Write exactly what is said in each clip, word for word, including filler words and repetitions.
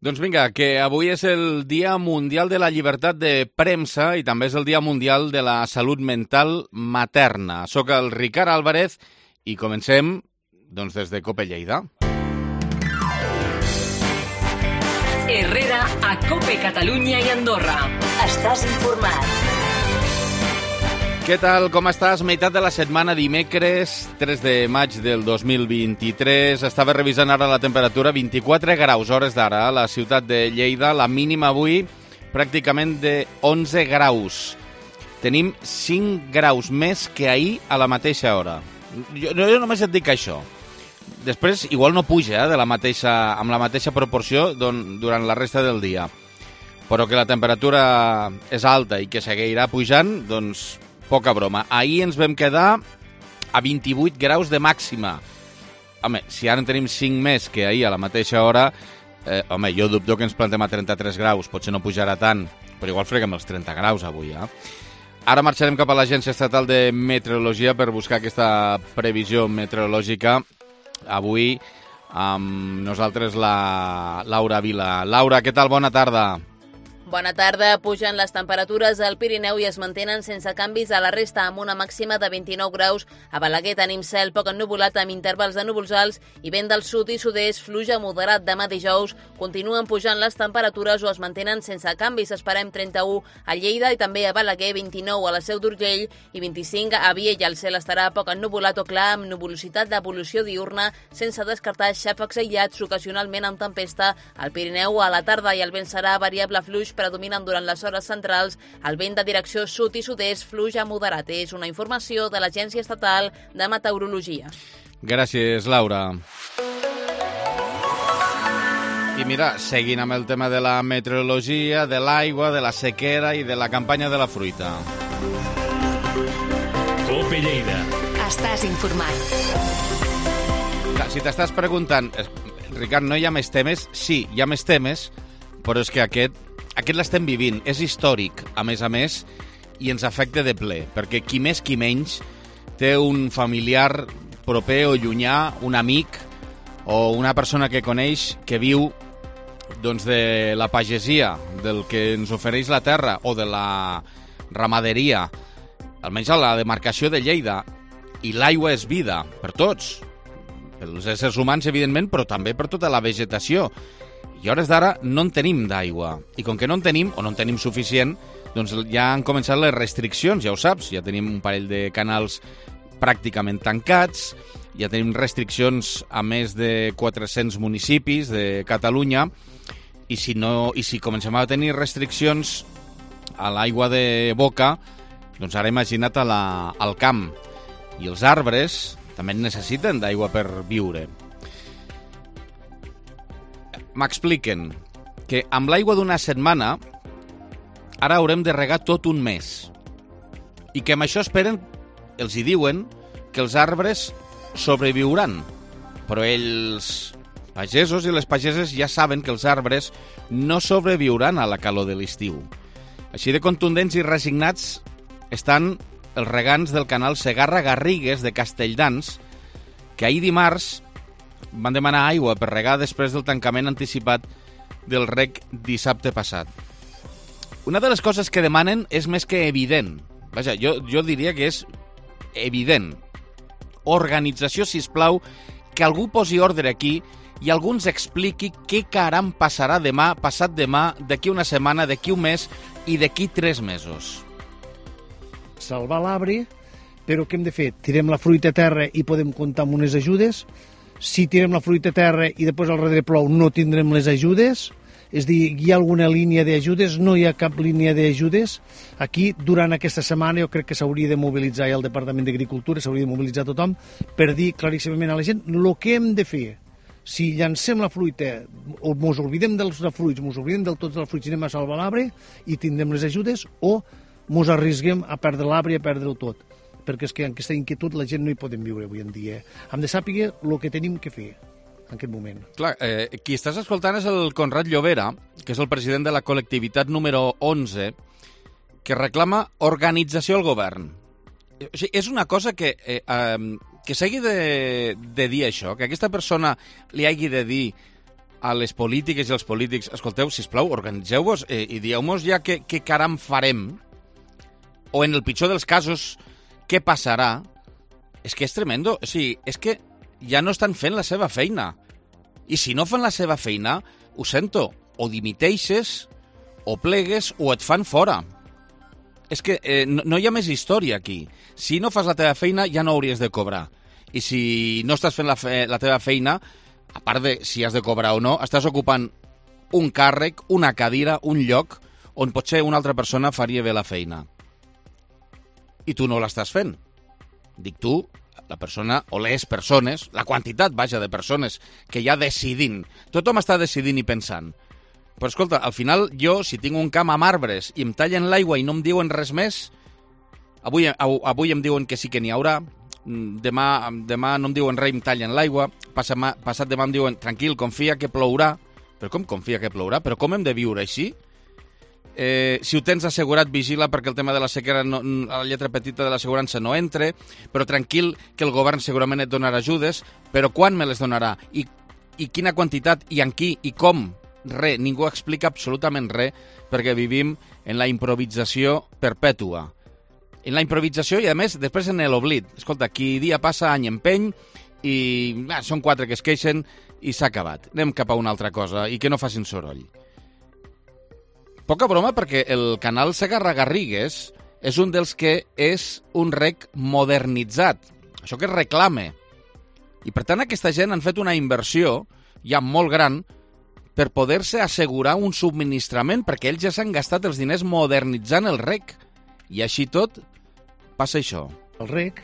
Doncs vinga, que avui és el Dia Mundial de la Llibertat de Premsa i també és el Dia Mundial de la Salut Mental Materna. Soc el Ricard Álvarez i comencem doncs, des de COPE Lleida. Herrera a COPE Catalunya i Andorra. Estàs informat. Què tal, com estàs? Meitat de la setmana, dimecres, tres de maig del dos mil vint-i-tres. Estava revisant ara la temperatura, vint-i-quatre graus hores d'ara a la ciutat de Lleida. La mínima avui pràcticament de onze graus. Tenim cinc graus més que ahir a la mateixa hora. Jo, jo només et dic això. Després, igual no puja eh, de la mateixa, amb la mateixa proporció don, durant la resta del dia. Però que la temperatura és alta i que seguirà pujant, doncs poca broma. Ahir ens vam quedar a vint-i-vuit graus de màxima. Home, si ara en tenim cinc més que ahir a la mateixa hora, eh, home, jo dubto que ens plantem a trenta-tres graus. Potser no pujarà tant, però igual freguem els trenta graus avui, eh? Ara marxarem cap a l'Agència Estatal de Meteorologia per buscar aquesta previsió meteorològica. Avui amb nosaltres la Laura Vila. Laura, què tal? Bona tarda. Bona tarda. Pugen les temperatures al Pirineu i es mantenen sense canvis a la resta, amb una màxima de vint-i-nou graus. A Balaguer tenim cel poc ennuvolat amb intervals de núvols alts i vent del sud i sud-est, fluja moderat demà dijous. Continuen pujant les temperatures o es mantenen sense canvis. Esperem trenta-u a Lleida i també a Balaguer, vint-i-nou a la Seu d'Urgell i vint-i-cinc a Viella. El cel estarà poc ennuvolat o clar amb nuvolositat d'evolució diurna, sense descartar xàfecs aïllats, ocasionalment amb tempesta. Al Pirineu a la tarda i el vent serà variable fluix, predominen durant les hores centrals. El vent de direcció sud i sud-est fluja moderat. És una informació de l'Agència Estatal de Meteorologia. Gràcies, Laura. I mira, seguint amb el tema de la meteorologia, de l'aigua, de la sequera i de la campanya de la fruita. COPE Lleida. Estàs informat. Si t'estàs preguntant, Ricard, no hi ha més temes? Sí, hi ha més temes, però és que aquest Aquest l'estem vivint, és històric, a més a més, i ens afecta de ple, perquè qui més qui menys té un familiar proper o llunyà, un amic o una persona que coneix que viu doncs, de la pagesia, del que ens ofereix la terra o de la ramaderia, almenys a la demarcació de Lleida, i l'aigua és vida per tots, pels éssers humans, evidentment, però també per tota la vegetació. I a hores d'ara no en tenim d'aigua. I com que no en tenim, o no en tenim suficient, doncs ja han començat les restriccions, ja ho saps. Ja tenim un parell de canals pràcticament tancats, ja tenim restriccions a més de quatre-cents municipis de Catalunya, i si, no, i si comencem a tenir restriccions a l'aigua de boca, doncs ara imagina't a la, al camp. I els arbres també necessiten d'aigua per viure. M'expliquen que amb l'aigua d'una setmana ara haurem de regar tot un mes i que amb això esperen, els hi diuen, que els arbres sobreviuran. Però els pagesos i les pageses ja saben que els arbres no sobreviuran a la calor de l'estiu. Així de contundents i resignats estan els regants del canal Segarra-Garrigues de Castelldans, que ahir dimarts van demanar aigua per regar després del tancament anticipat del reg dissabte passat. Una de les coses que demanen és més que evident. Vaja, jo, jo diria que és evident. Organització, sisplau, que algú posi ordre aquí i algú ens expliqui què caram passarà demà, passat demà, d'aquí una setmana, d'aquí un mes i d'aquí tres mesos. Salvar l'arbre, però què hem de fer? Tirem la fruita a terra i podem comptar amb unes ajudes? Si tirem la fruita a terra i després al darrere plou, no tindrem les ajudes. És dir, hi ha alguna línia d'ajudes? No hi ha cap línia d'ajudes. Aquí, durant aquesta setmana, jo crec que s'hauria de mobilitzar el Departament d'Agricultura, s'hauria de mobilitzar tothom per dir claríssimament a la gent el que hem de fer. Si llancem la fruita o mos oblidem dels fruits, mos oblidem del tots dels fruits i anem a salvar l'arbre i tindrem les ajudes, o mos arrisguem a perdre l'arbre i a perdre-ho tot. Perquè és que en aquesta inquietud la gent no hi podem viure avui en dia. Hem de saber el que tenim que fer en aquest moment. Clar, eh, qui estàs escoltant és el Conrad Llobera, que és el president de la col·lectivitat número onze, que reclama organització al govern. O sigui, és una cosa que, eh, eh, que s'hagi de, de dir això, que aquesta persona li hagi de dir a les polítiques i als polítics, escolteu, sisplau, organitzeu-vos eh, i dieu-nos ja què, què caram farem, o en el pitjor dels casos, què passarà. És que és tremendo. O sigui, és que ja no estan fent la seva feina. I si no fan la seva feina, ho sento, o dimiteixes, o plegues, o et fan fora. És que eh, no, no hi ha més història aquí. Si no fas la teva feina, ja no hauries de cobrar. I si no estàs fent la, fe, la teva feina, a part de si has de cobrar o no, estàs ocupant un càrrec, una cadira, un lloc on potser una altra persona faria bé la feina. I tu no l'estàs fent. Dic tu, la persona o les persones, la quantitat, vaja, de persones que ja decidint. Tothom està decidint i pensant. Però escolta, al final jo, si tinc un camp amb arbres i em tallen l'aigua i no em diuen res més, avui, avui em diuen que sí que n'hi haurà, demà, demà no em diuen res i em tallen l'aigua, passat, passat demà em diuen tranquil, confia que plourà. Però com confia que plourà? Però com hem de viure així? Eh, si ho tens assegurat, vigila perquè el tema de la sequera, no, la lletra petita de l'assegurança no entre, però tranquil que el govern segurament et donarà ajudes, però quan me les donarà? I, i quina quantitat? I en qui? I com? Res, ningú explica absolutament res perquè vivim en la improvisació perpètua. En la improvisació i, a més, després en l'oblit. Escolta, qui dia passa, any empeny, i ah, són quatre que es queixen i s'ha acabat. Anem cap a una altra cosa i que no facin soroll. Poca broma perquè el canal Segarra-Garrigues és un dels que és un rec modernitzat. Això que es reclame. I per tant aquesta gent han fet una inversió ja molt gran per poder-se assegurar un subministrament perquè ells ja s'han gastat els diners modernitzant el rec. I així tot passa això. El rec,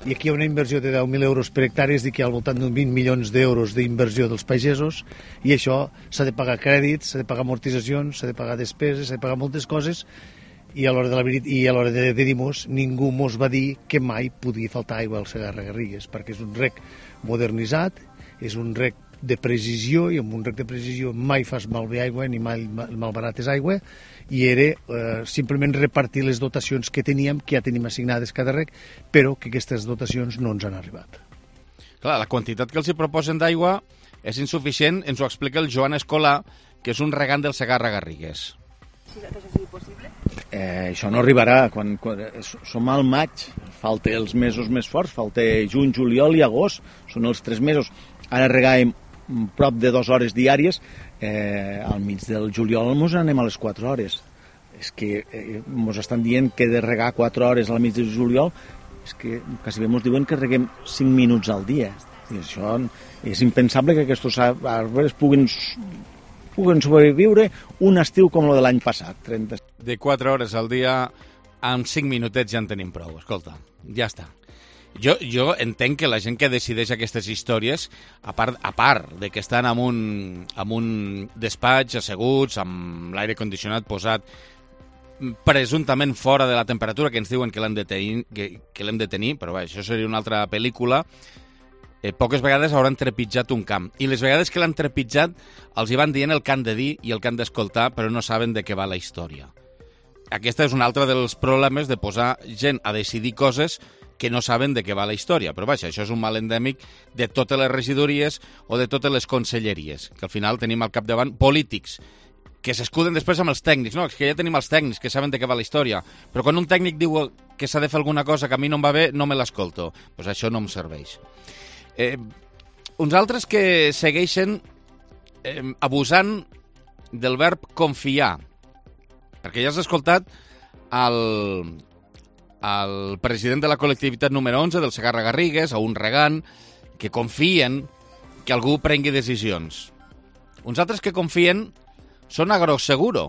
i aquí hi ha una inversió de deu mil euros per hectàrea, és dir, que hi ha al voltant d'un vint milions d'euros d'inversió dels pagesos, i això s'ha de pagar crèdits, s'ha de pagar amortitzacions, s'ha de pagar despeses, s'ha de pagar moltes coses, i a l'hora de la veritat, i a l'hora de, de dir-nos, ningú mos va dir que mai podia faltar aigua al Segarra-Garrigues, perquè és un rec modernitzat, és un rec de precisió, i amb un rec de precisió mai fas malbé aigua ni mai malbarates aigua, i era eh, simplement repartir les dotacions que teníem, que ja tenim assignades cada rec, però que aquestes dotacions no ens han arribat. Clar, la quantitat que els hi proposen d'aigua és insuficient, ens ho explica el Joan Escolà, que és un regant del Segarra-Garrigues. Eh, això no arribarà, quan, quan som al maig, falta els mesos més forts, falta juny, juliol i agost, són els tres mesos. Ara regàvem prop de dues hores diàries, eh, al mig del juliol ens anem a les quatre hores. És que eh, ens estan dient que de regar quatre hores al mig del juliol, és que quasi bé ens diuen que reguem cinc minuts al dia. I això és impensable que aquests arbres puguin, puguin sobreviure un estiu com el de l'any passat. trenta De quatre hores al dia, amb cinc minutets ja en tenim prou. Escolta, ja està. Jo, jo entenc que la gent que decideix aquestes històries, a part, a part de que estan en un, en un despatx asseguts, amb l'aire condicionat posat, presumptament fora de la temperatura que ens diuen que l'hem de tenir, que, que l'hem de tenir, però bé, això seria una altra pel·lícula, eh, poques vegades hauran trepitjat un camp. I les vegades que l'han trepitjat els hi van dient el que han de dir i el que han d'escoltar, però no saben de què va la història. Aquesta és un altre dels problemes de posar gent a decidir coses que no saben de què va la història. Però vaja, això és un mal endèmic de totes les regidories o de totes les conselleries, que al final tenim al capdavant polítics que s'escuden després amb els tècnics. No, és que ja tenim els tècnics que saben de què va la història, però quan un tècnic diu que s'ha de fer alguna cosa que a mi no em va bé, no me l'escolto. Doncs pues això no em serveix. Eh, uns altres que segueixen eh, abusant del verb confiar, perquè ja has escoltat el... el president de la col·lectivitat número onze del Segarra-Garrigues, a un regant, que confien que algú prengui decisions. Uns altres que confien són Agroseguro,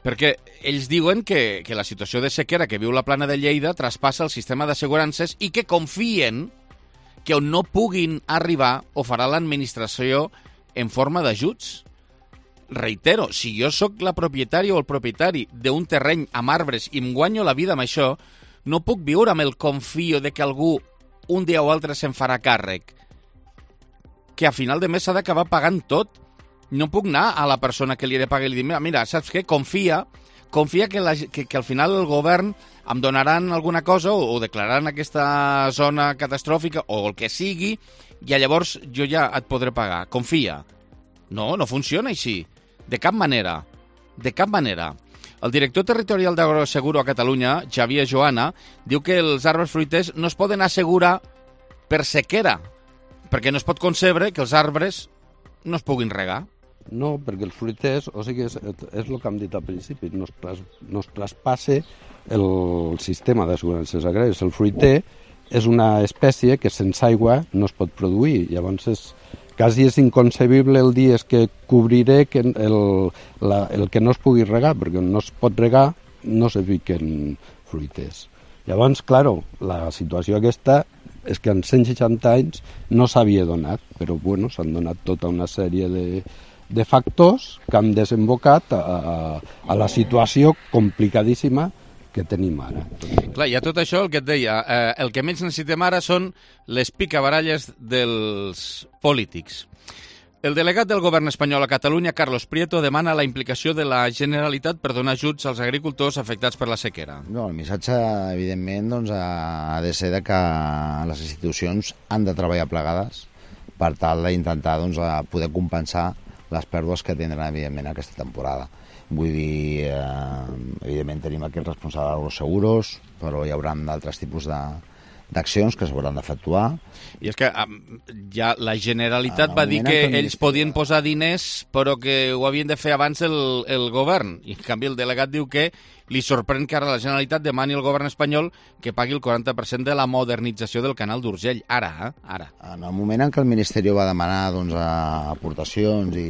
perquè ells diuen que, que la situació de sequera que viu la Plana de Lleida traspassa el sistema d'assegurances i que confien que on no puguin arribar ho farà l'administració en forma d'ajuts. Reitero, si jo sóc la propietària o el propietari d'un terreny amb arbres i em guanyo la vida amb això, no puc viure amb el confio de que algú un dia o altre se'n farà càrrec. Que a final de mes s'ha d'acabar pagant tot. No puc anar a la persona que li he de pagar i li dir, mira, saps què? Confia, confia que, la, que, que al final el govern em donaran alguna cosa o, o declararan aquesta zona catastròfica o el que sigui i llavors jo ja et podré pagar. Confia. No, no funciona així. De cap manera. De cap manera. El director territorial d'Agroseguro a Catalunya, Xavier Joana, diu que els arbres fruiters no es poden assegurar per sequera, perquè no es pot concebre que els arbres no es puguin regar. No, perquè els fruiters, o sigui, és, és el que hem dit al principi, no es, tras, no es traspasse el sistema d'assegurances agràries. El fruiter és una espècie que sense aigua no es pot produir, llavors és, quasi és inconcebible el dia que cobriré que el, la, el que no es pugui regar, perquè no es pot regar no se fiquen fruiters. Llavors, claro, la situació aquesta és que en cent seixanta anys no s'havia donat, però bueno, s'han donat tota una sèrie de, de factors que han desembocat a, a, a la situació complicadíssima que tenim ara. Clar, i a tot això, el que et deia, eh, el que menys necessitem ara són les picabaralles dels polítics. El delegat del govern espanyol a Catalunya, Carlos Prieto, demana la implicació de la Generalitat per donar ajuts als agricultors afectats per la sequera. No, el missatge, evidentment, doncs, ha de ser de que les institucions han de treballar plegades per tal d'intentar doncs, poder compensar les pèrdues que tindran, evidentment, aquesta temporada. Vull dir, eh, evidentment tenim aquí el responsable d'Agroseguros, però hi haurà d'altres tipus de d'accions que s'hauran d'efectuar. I és que ja la Generalitat va dir que ells podien posar diners però que ho havien de fer abans el, el govern. I en canvi el delegat diu que li sorprèn que ara la Generalitat demani al govern espanyol que pagui el quaranta per cent de la modernització del canal d'Urgell. Ara, eh? Ara. En el moment en què el Ministeri va demanar doncs, aportacions i,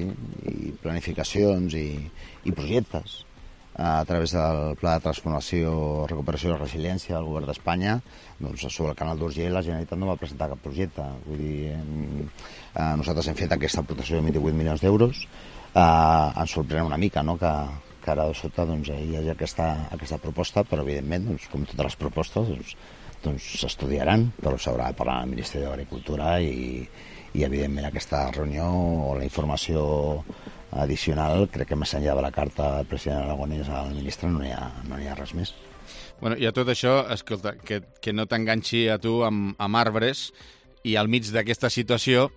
i planificacions i, i projectes a través del Pla de Transformació, Recuperació i Resiliència del Govern d'Espanya, doncs sobre el canal d'Urgell la Generalitat no va presentar cap projecte. Vull dir, eh, nosaltres hem fet aquesta aportació de vint-i-vuit milions d'euros. Eh, ens sorprèn una mica, no?, que, que ara de sota doncs, hi hagi aquesta, aquesta proposta, però evidentment, doncs, com totes les propostes, doncs, doncs s'estudiaran, però s'haurà de parlar amb el Ministeri d'Agricultura i, i evidentment aquesta reunió o la informació addicional, crec que més enllà de la carta del president Aragonès al ministre no hi ha, no hi ha res més. Bueno, i a tot això, escolta, que, que no t'enganxi a tu amb, amb arbres i al mig d'aquesta situació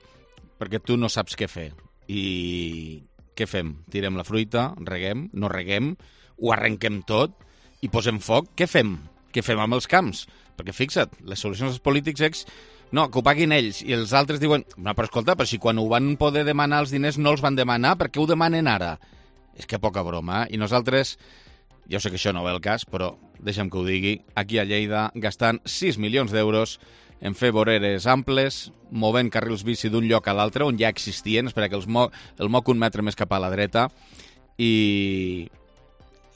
perquè tu no saps què fer. I què fem? Tirem la fruita, reguem, no reguem, ho arrenquem tot i posem foc? Què fem? Què fem amb els camps? Perquè fixa't, les solucions dels polítics és no, que ho paguin ells, i els altres diuen no, però escolta, però si quan ho van poder demanar els diners no els van demanar, per què ho demanen ara? És que poca broma, eh? I nosaltres, jo sé que això no ve el cas, però deixa'm que ho digui, aquí a Lleida gastant sis milions d'euros en fer voreres amples, movent carrils bici d'un lloc a l'altre, on ja existien, espera que els mo el moc un metre més cap a la dreta, i,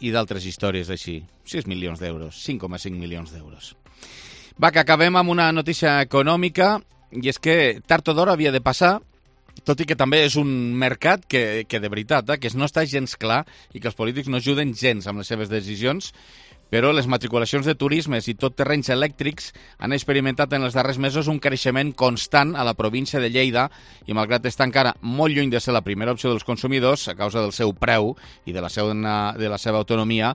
i d'altres històries així. sis milions d'euros, cinc coma cinc milions d'euros. Va, que acabem amb una notícia econòmica, i és que tard o d'hora havia de passar, tot i que també és un mercat que, que de veritat, eh, que no està gens clar i que els polítics no ajuden gens amb les seves decisions, però les matriculacions de turismes i tot terrenys elèctrics han experimentat en els darrers mesos un creixement constant a la província de Lleida i malgrat estar encara molt lluny de ser la primera opció dels consumidors a causa del seu preu i de la seva, de la seva autonomia,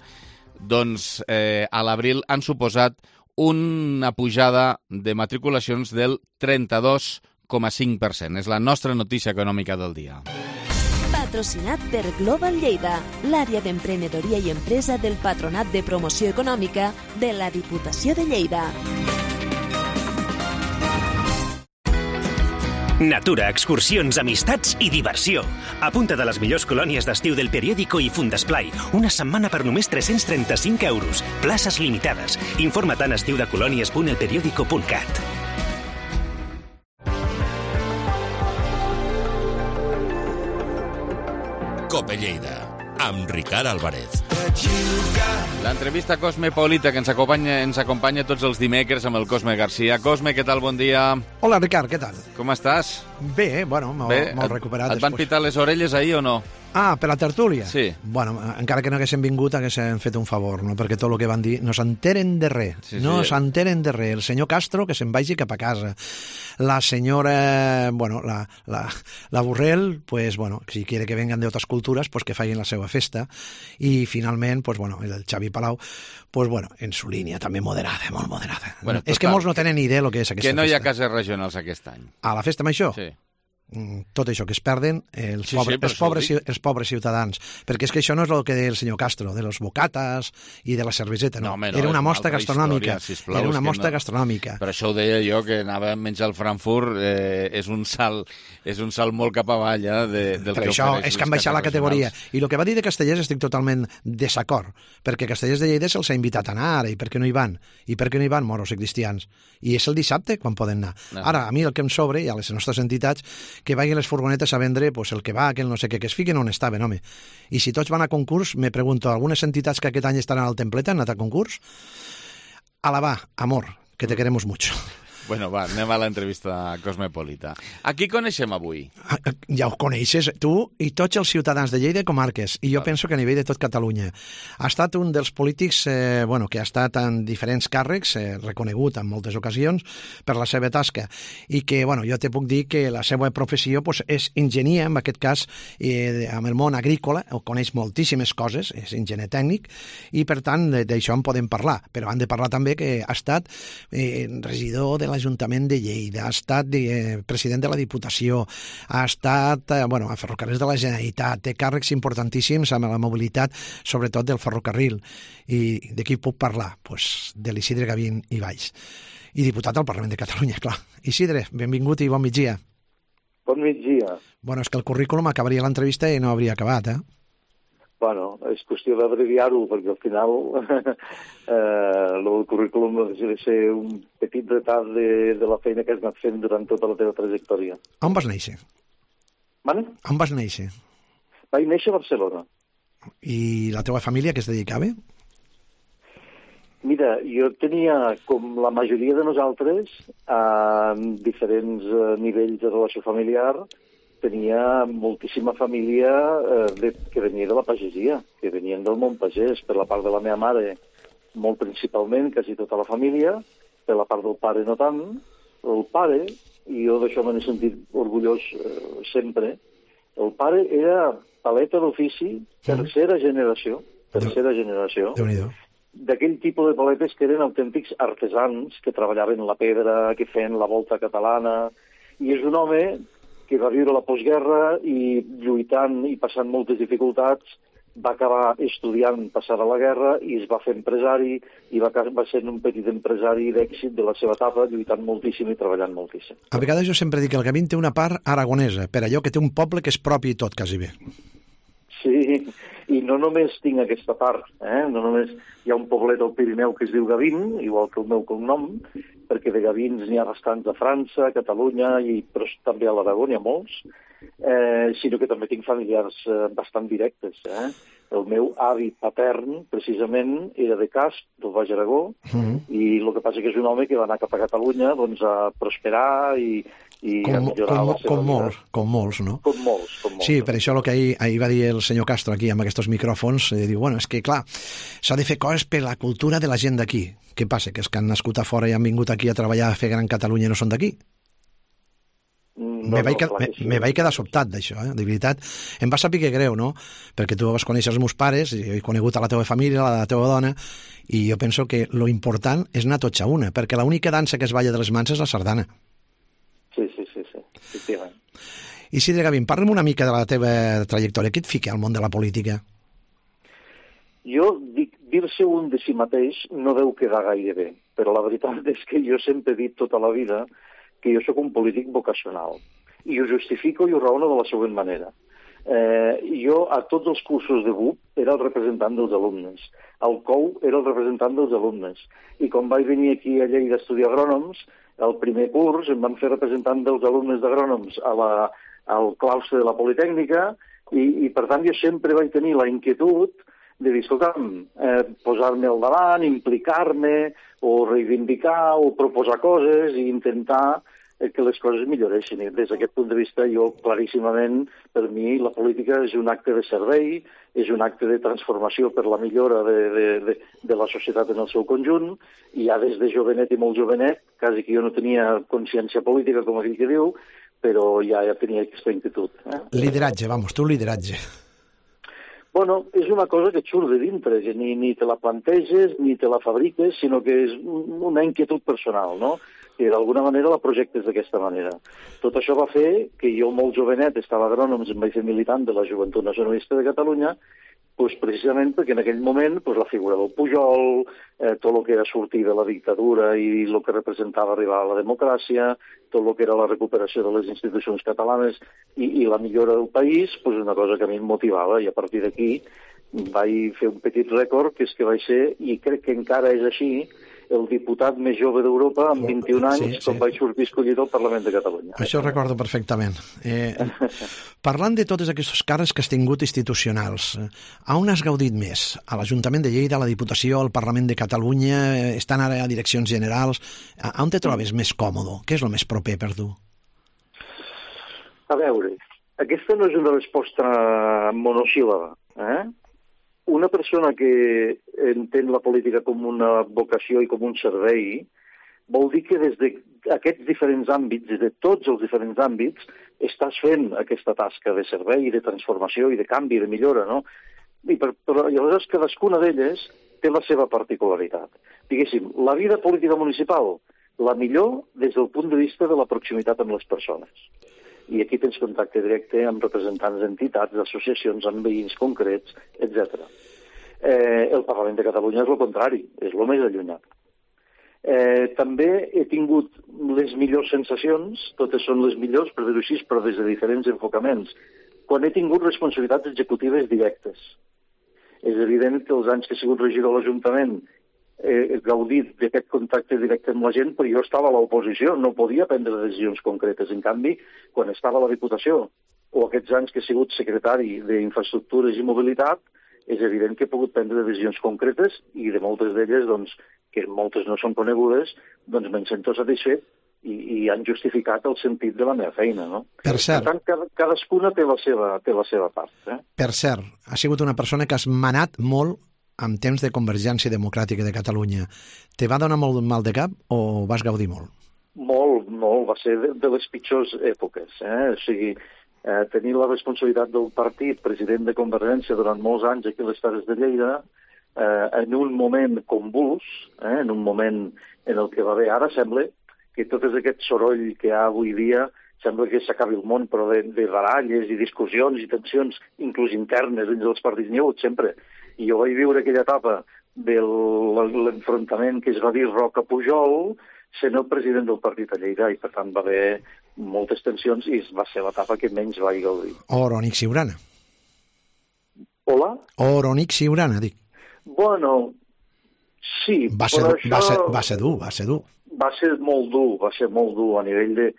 doncs eh, a l'abril han suposat una pujada de matriculacions del trenta-dos coma cinc per cent. És la nostra notícia econòmica del dia. Patrocinat per Global Lleida, l'àrea d'emprenedoria i empresa del Patronat de Promoció Econòmica de la Diputació de Lleida. Natura, excursions, amistats i diversió. Apunta't a les millors colònies d'estiu del Periódico i Fundesplai. Una setmana per només tres-cents trenta-cinc euros. Places limitades. Informa't en estiudecolònies punt el periódico punt cat. Cope Lleida, amb Ricard Álvarez. L'entrevista Cosmopolita que ens acompanya, ens acompanya tots els dimecres amb el Cosme Garcia. Cosme, què tal? Bon dia. Hola, Ricard, què tal? Com estàs? Bé, bueno, molt recuperat. Et van pitar les orelles ahir o no? Ah, per la tertúlia? Sí. Bueno, encara que no haguéssim vingut, haguéssim fet un favor, no? Perquè tot el que van dir no s'enteren de res. Sí, no sí. s'enteren de res. El senyor Castro, que se'n vagi cap a casa. La senyora, bueno, la, la, la Borrell, pues, bueno, si quiere que vengan de otras culturas, pues que facin la seva festa. I, finalment, pues, bueno, el Xavi Palau, pues, bueno, en su línia, també moderada, molt moderada. Bueno, és que molts no tenen idea del que és aquesta festa. Que no hi ha cases regionals aquest any. A la festa amb això? Sí. tot això que es perden els, Sí, pobres, sí, però els, això ho pobres, dic. els pobres ciutadans, perquè és que això no és el que deia el senyor Castro, de los bocatas i de la cerveseta, no, No, home, no, era és una una mostra altra gastronòmica, història, sisplau, era és una que mostra no. gastronòmica. Per això ho deia jo, que anava a menjar al Frankfurt, eh, és un salt és un salt molt cap avall, eh, de, del Per que això ofereix és que han les baixat la cases categoria. regionals. I el que va dir de Castellers estic totalment desacord, perquè Castellers de Lleida se'ls ha invitat a anar ara, i per què no hi van? I per què no hi van moros i cristians? I és el dissabte quan poden anar. No. Ara, a mi el que em sobre, i a les nostres entitats, que vagin les furgonetes a vendre pues, el que va, que el no sé què, que es fiquen on estaven, home. I si tots van a concurs, me pregunto, algunes entitats que aquest any estaran al templet han anat a concurs? Alabà, amor, que te queremos mucho. Bueno, va, anem a l'entrevista cosmopolita. A qui coneixem avui? Ja ho coneixes, tu i tots els ciutadans de Lleida i comarques, i jo penso que a nivell de tot Catalunya. Ha estat un dels polítics eh, bueno, que ha estat en diferents càrrecs, eh, reconegut en moltes ocasions per la seva tasca, i que bueno, jo te puc dir que la seva professió pues, és enginyer, en aquest cas, eh, amb el món agrícola, o coneix moltíssimes coses, és enginyer tècnic, i per tant d'això en podem parlar, però han de parlar també que ha estat eh, regidor de l'Ajuntament de Lleida, ha estat eh, president de la Diputació, ha estat eh, bueno, a Ferrocarrils de la Generalitat, té càrrecs importantíssims amb la mobilitat, sobretot del ferrocarril. I de qui puc parlar? Pues de l'Isidre Gavín i Valls. I diputat al Parlament de Catalunya, clar. Isidre, benvingut i bon migdia. Bon migdia. Bueno, és que el currículum acabaria l'entrevista i no hauria acabat, eh? Bueno, és qüestió d'abreviar-ho, perquè al final eh, el currículum no deixa de ser un petit retard de, de la feina que has anat fent durant tota la teva trajectòria. On vas néixer? Vale? On vas néixer? Vaig néixer a Barcelona. I la teva família que es dedicava? Mira, jo tenia, com la majoria de nosaltres, a diferents eh, nivells de relació familiar, tenia moltíssima família eh, de, que venia de la pagesia, que venien del món pagès, per la part de la meva mare, molt principalment, quasi tota la família, per la part del pare no tant, el pare, i jo d'això me n'he sentit orgullós eh, sempre, el pare era paleta d'ofici, tercera generació, tercera generació, Déu-n'hi-do. D'aquell tipus de paletes que eren autèntics artesans, que treballaven la pedra, que feien la volta catalana, i és un home que va viure la postguerra i lluitant i passant moltes dificultats, va acabar estudiant passada la guerra i es va fer empresari i va, va ser un petit empresari d'èxit de la seva etapa, lluitant moltíssim i treballant moltíssim. A vegades jo sempre dic que el Gavín té una part aragonesa, per allò que té un poble que és propi i tot, quasi bé. Sí, i no només tinc aquesta part, eh? No només hi ha un poblet al Pirineu que es diu Gavín, igual que el meu cognom, perquè de Gavins n'hi ha bastants a França, a Catalunya, i, però també a l'Aragó n'hi ha molts, eh, sinó que també tinc familiars eh, bastant directes. Eh? El meu avi patern, precisament, era de Casp, del Baix Aragó, Mm-hmm. i el que passa que és un home que va anar cap a Catalunya doncs, a prosperar i, i a Com, millorar com, la seva com vida. molts, com molts, no? Com molts, com molts. Sí, per això el que ahir, ahir va dir el senyor Castro aquí amb aquests micròfons, eh, diu, bueno, és que clar, s'ha de fer coses per la cultura de la gent d'aquí. Què passa? Que és que han nascut a fora i han vingut aquí a treballar a fer Gran Catalunya i no són d'aquí? No, me, vaig no, quedar, clar me, que sí. me vaig quedar sobtat d'això, eh? De veritat. Em va saber que greu, no? Perquè tu vas conèixer els meus pares, i he conegut a la teva família, a la teva dona, i jo penso que lo important és anar tots a una, perquè l'única dansa que es balla de les mans és la sardana. Sí, sí, sí, sí, efectivament. Isidre Gavín, parla'm una mica de la teva trajectòria. Què et fica al món de la política? Jo dic, dir-se un de si mateix no deu quedar gaire bé, però la veritat és que jo sempre he dit tota la vida que jo sóc un polític vocacional. I ho justifico i ho raono de la següent manera. Eh, jo a tots els cursos de B U P era el representant dels alumnes. Al C O U era el representant dels alumnes. I quan vaig venir aquí a Lleida a estudiar agrònoms, el primer curs em van fer representant dels alumnes d'agrònoms a la, al claustre de la Politècnica i, i per tant jo sempre vaig tenir la inquietud de dir, escolta'm, eh, posar-me al davant, implicar-me, o reivindicar, o proposar coses, i intentar eh, que les coses milloressin. I des d'aquest punt de vista, jo, claríssimament, per mi, la política és un acte de servei, és un acte de transformació per la millora de, de, de, de la societat en el seu conjunt, i ja des de jovenet i molt jovenet, quasi que jo no tenia consciència política, com aquell que diu, però ja, ja tenia aquesta inquietud. Eh? Lideratge, vamos, tu lideratge. Bueno, és una cosa que et surt de dintre, que ni, ni te la planteges, ni te la fabriques, sinó que és una inquietud personal, no? que d'alguna manera la projectes d'aquesta manera. Tot això va fer que jo, molt jovenet, estava a Agrònoms, em vaig fer militant de la Joventut Nacionalista de Catalunya, pues precisament perquè en aquell moment pues, la figura del Pujol, eh, tot el que era sortir de la dictadura i el que representava arribar a la democràcia, tot el que era la recuperació de les institucions catalanes i, i la millora del país, pues una cosa que a mi em motivava, i a partir d'aquí vaig fer un petit rècord, que és que vaig ser, i crec que encara és així, el diputat més jove d'Europa amb vint-i-un anys, sí, sí. quan vaig sortir escollit al Parlament de Catalunya. Això ho recordo perfectament. Eh, parlant de totes aquestes càrrecs que has tingut institucionals, a on has gaudit més? A l'Ajuntament de Lleida, a la Diputació, al Parlament de Catalunya, estan ara a direccions generals, a on te trobes més còmode? Què és el més proper per tu? A veure, aquesta no és una resposta monosíl·laba, eh? Una persona que entén la política com una vocació i com un servei vol dir que des d'aquests diferents àmbits, des de tots els diferents àmbits, estàs fent aquesta tasca de servei, de transformació i de canvi, de millora, no? I per, però llavors cadascuna d'elles té la seva particularitat. Diguéssim, la vida política municipal, la millor des del punt de vista de la proximitat amb les persones. I aquí tens contacte directe amb representants d'entitats, d'associacions, amb veïns concrets, etcètera. Eh, el Parlament de Catalunya és el contrari, és el més allunyat. Eh, també he tingut les millors sensacions, totes són les millors, per dir-ho així, però des de diferents enfocaments, quan he tingut responsabilitats executives directes. És evident que els anys que he sigut regidor a l'Ajuntament he gaudit d'aquest contacte directe amb la gent, però jo estava a l'oposició, no podia prendre decisions concretes. En canvi, quan estava a la Diputació, o aquests anys que he sigut secretari d'Infraestructures i Mobilitat, és evident que he pogut prendre decisions concretes i de moltes d'elles, doncs, que moltes no són conegudes, doncs me'n sento satisfet i, i han justificat el sentit de la meva feina, no? Per cert. Per tant, cada, cadascuna té la seva, té la seva part. Eh? Per cert, has sigut una persona que has manat molt en temps de Convergència Democràtica de Catalunya. Te va donar molt mal de cap o vas gaudir molt? Molt, molt. Va ser de, de les pitjors èpoques. Eh? O sigui, eh, tenir la responsabilitat del partit, president de Convergència durant molts anys aquí a les Terres de Lleida, eh, en un moment convuls, eh, en un moment en el que va bé. Ara sembla que tot aquest soroll que hi ha avui dia sembla que s'acabi el món, però de, de baralles i discussions i tensions, inclús internes dins dels partits, n'hi ha hagut sempre. I jo vaig viure aquella etapa de l'enfrontament que es va dir Roca-Pujol, sent el president del partit a Lleida, i per tant va haver moltes tensions i va ser l'etapa que menys vaig gaudir. Oronic Siurana. Hola? Oronic Siurana, dic. Bueno, sí, va ser, però això... Va ser, va ser dur, va ser dur. Va ser molt dur, va ser molt dur a nivell de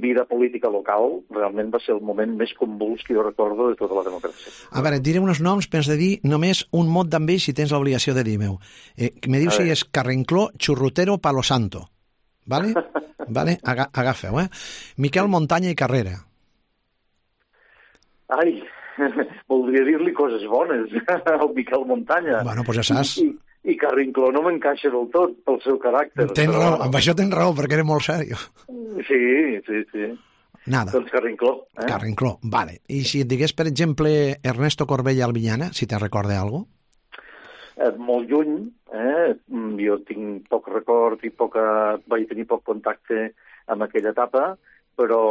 vida política local. Realment va ser el moment més convuls que jo recordo de tota la democràcia. A veure, et diré uns noms, però has de dir només un mot d'ambell si tens l'obligació de dir-me-ho. Eh, me dius si és Carrencló, Churrutero, Palo Santo. Vale? Vale? Aga agafeu, eh? Miquel Montaña i Carrera. Ai, voldria dir-li coses bones al Miquel Montaña. Bueno, doncs ja saps. I, i... I Carrincló no m'encaixa del tot pel seu caràcter. Tens però... raó, amb això tens raó, perquè era molt sèrio. Sí, sí, sí. Nada. Doncs Carrincló. Eh? Carrincló, vale. I si et digués, per exemple, Ernesto Corbella Albiñana, si te recorda alguna cosa? Eh, molt lluny, eh? Jo tinc poc record i poca... vaig tenir poc contacte amb aquella etapa, però,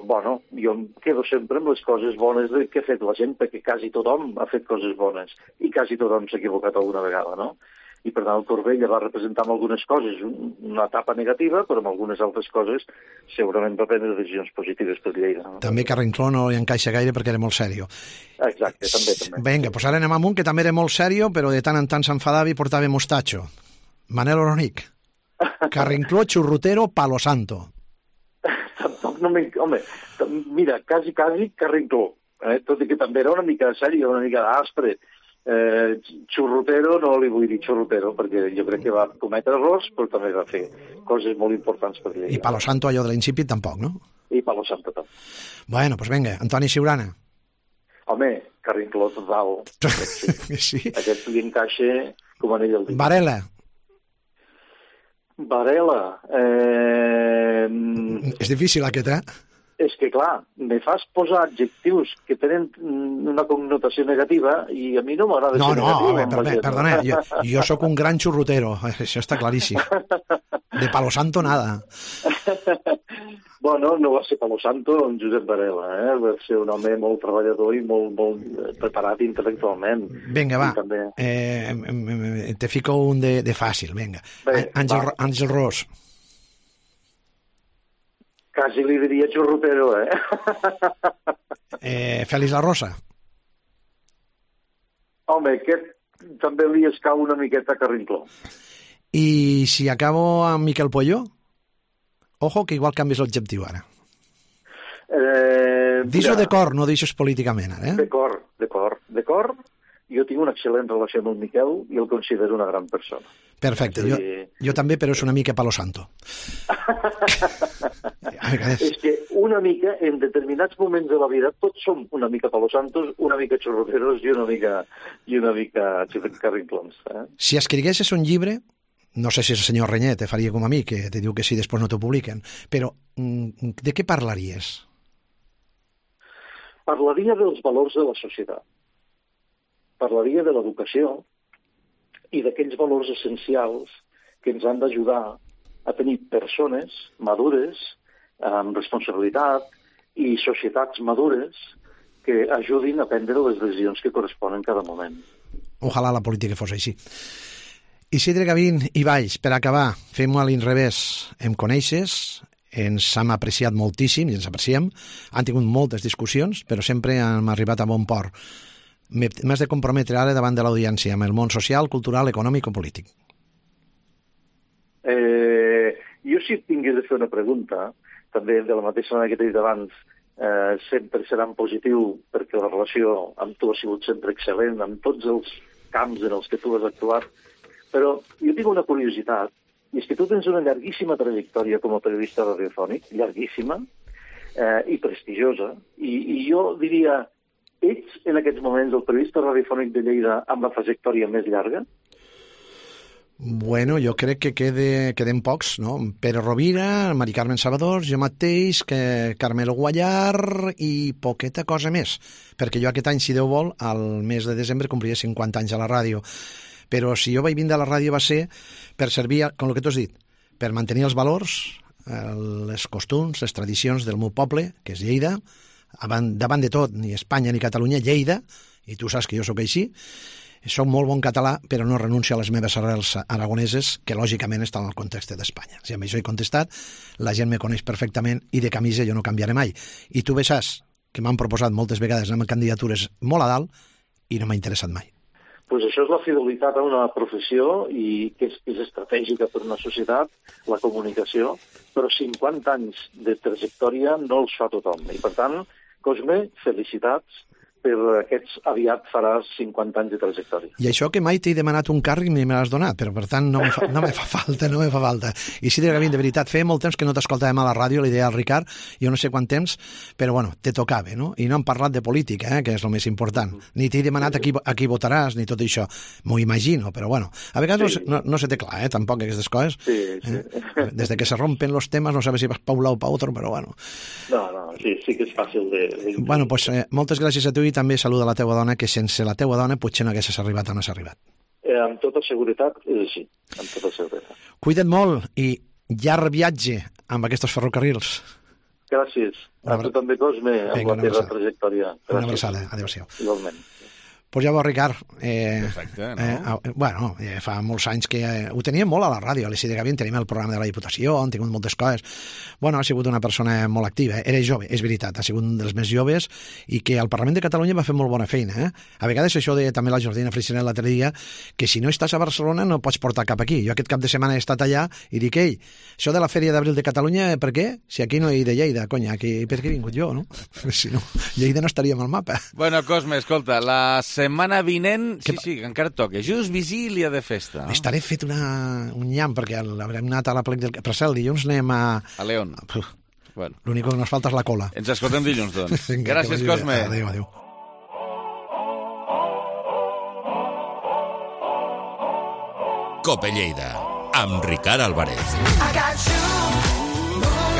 bueno, jo em quedo sempre amb les coses bones que ha fet la gent, perquè quasi tothom ha fet coses bones i quasi tothom s'ha equivocat alguna vegada, no? I per tant el Corbella va representar amb algunes coses una etapa negativa, però amb algunes altres coses segurament va prendre decisions positives per Lleida. No? També Carrincló no li encaixa gaire perquè era molt sèrio. Exacte, també, també. Vinga, doncs ara anem amb un que també era molt sèrio, però de tant en tant s'enfadava i portava mostatxo. Manel Oronic. Carrincló, Churrutero, Palo Santo. Tampoc no m'enc... Home, mira, quasi, quasi Carrincló. Eh? Tot i que també era una mica sèrio, una mica aspre. Eh, xurrutero no li vull dir xurrutero perquè jo crec que va cometre errors, però també va fer coses molt importants per Lleida. I Palo Santo, allò de l'incipit, tampoc, no? I Palo Santo també. Bueno, doncs vinga, Antoni Siurana. Home, Carrincló total. Sí. Sí. Aquest li encaixa com anell al dit. Varela. Varela. Eh... És difícil aquest, eh? És que, clar, me fas posar adjectius que tenen una connotació negativa i a mi no m'agrada no, ser no, negatiu. No, no, perdona, jo, jo sóc un gran xurrutero, això està claríssim. De Palo Santo nada. Bueno, no va ser Palo Santo en Josep Varela, eh? Va ser un home molt treballador i molt, molt preparat intel·lectualment. Vinga, va, també... eh, te fico un de, de fàcil, vinga. Bé, Àngel, va. Àngel Ros. Quasi li diria xurrupero, eh? eh Fèlix La Rosa. Home, aquest també li escau una miqueta carrincló. I si acabo amb Miquel Polló? Ojo, que igual canvies l'objectiu ara. Eh, Dis-ho de cor, no deixes políticament, ara, eh? De cor, de cor. De cor, jo tinc una excel·lent relació amb el Miquel i el considero una gran persona. Perfecte, jo, jo també, però és una mica Palo Santo. És que una mica, en determinats moments de la vida, tots som una mica Palo Santos, una mica xorroteros i una mica, i una mica carrinclons. Eh? Si escriguessis un llibre, no sé si el senyor Renyet te faria com a mi, que te diu que sí, després no t'ho publiquen, però de què parlaries? Parlaria dels valors de la societat. Parlaria de l'educació i d'aquells valors essencials que ens han d'ajudar a tenir persones madures, amb responsabilitat, i societats madures que ajudin a prendre les decisions que corresponen en cada moment. Ojalà la política fos així. Isidre Gavín i Valls, per acabar, fem-ho a l'inrevés. Em coneixes, ens hem apreciat moltíssim i ens apreciem. Han tingut moltes discussions, però sempre hem arribat a bon port. M'has de comprometre ara davant de l'audiència amb el món social, cultural, econòmic o polític. Eh, jo si tingués de fer una pregunta, també de la mateixa manera que t'he dit abans, eh, sempre serà en positiu perquè la relació amb tu ha sigut sempre excel·lent en tots els camps en els que tu has actuat. Però jo tinc una curiositat, i és que tu tens una llarguíssima trajectòria com a periodista radiofònic, llarguíssima eh, i prestigiosa, i, i jo diria, ets en aquests moments el periodista radiofònic de Lleida amb la trajectòria més llarga? Bueno, jo crec que quede, queden pocs, no? Pere Rovira, Mari Carmen Salvador, jo mateix, que Carmelo Guallar i poqueta cosa més, perquè jo aquest any, si Déu vol, al mes de desembre complia cinquanta anys a la ràdio. Però si jo vaig vindre a la ràdio va ser per servir, com el que tu has dit, per mantenir els valors, les costums, les tradicions del meu poble, que és Lleida, davant de tot, ni Espanya ni Catalunya, Lleida, i tu saps que jo sóc així, soc molt bon català, però no renuncio a les meves arrels aragoneses, que lògicament estan al context d'Espanya. Si amb això he contestat, la gent me coneix perfectament i de camisa jo no canviaré mai. I tu bé saps que m'han proposat moltes vegades anar amb candidatures molt a dalt i no m'ha interessat mai. Pues això és la fidelitat a una professió i que és, és estratègica per una societat, la comunicació, però cinquanta anys de trajectòria no els fa tothom. I per tant, Cosme, felicitats per aquests, aviat faràs cinquanta anys de trajectòria. I això que mai t'he demanat un càrrec ni me l'has donat, però per tant no me fa, no me fa falta, no me fa falta. I sí, Gavín, de veritat, feia molt temps que no t'escoltàvem a la ràdio, li deia al Ricard, jo no sé quant temps, però bueno, te tocava, no? I no hem parlat de política, eh, que és el més important. Ni t'he demanat a qui, a qui votaràs, ni tot això. M'ho imagino, però bueno, a vegades sí. no, no se té clar, eh, tampoc, aquestes coses. Sí, sí. Eh? Des de que se rompen los temas, no sabes si vas pa un lado o pa otro, però bueno. No, no, sí, sí que és fàcil de... de... Bueno, pues eh, moltes gràcies a tu i també saluda a la teva dona, que sense la teva dona potser no haguessis arribat on has arribat. Eh, amb tota seguretat és així, amb tota seguretat. Cuida't molt i llarg viatge amb aquests ferrocarrils. Gràcies. A tu també, Cosme, amb Venga, la teva trajectòria. Gràcies. Una abraçada. Adéu-siau. Igualment. Pues ja veus, Ricard, eh, Perfecte, no? eh, bueno, eh, fa molts anys que eh, ho teníem molt a la ràdio, a l'Isidre Gavín, tenim el programa de la Diputació, han tingut moltes coses. Bueno, ha sigut una persona molt activa, era jove, és veritat, ha sigut un dels més joves i que al Parlament de Catalunya va fer molt bona feina. Eh? A vegades això deia també la Jordina Freixenet l'altre dia, que si no estàs a Barcelona no pots portar cap aquí. Jo aquest cap de setmana he estat allà i dic, ei, això de la Fèria d'Abril de Catalunya, per què? Si aquí no hi he de Lleida, conya, aquí, per què he vingut jo, no? Si no, Lleida no estaria al mapa. Bueno, Cosme, escolta, la setmana vinent sí, sí, que encara toca. Just vigília de festa. No? Estaré fet una, un nyam, perquè l'haurem anat a la plec del... Per cert, el dilluns anem a... A León. Bueno. L'únic que nos falta és la cola. Ens escoltem dilluns, doncs. Gràcies, Cosme. Adéu, adéu. Cope Lleida, amb Ricard Álvarez.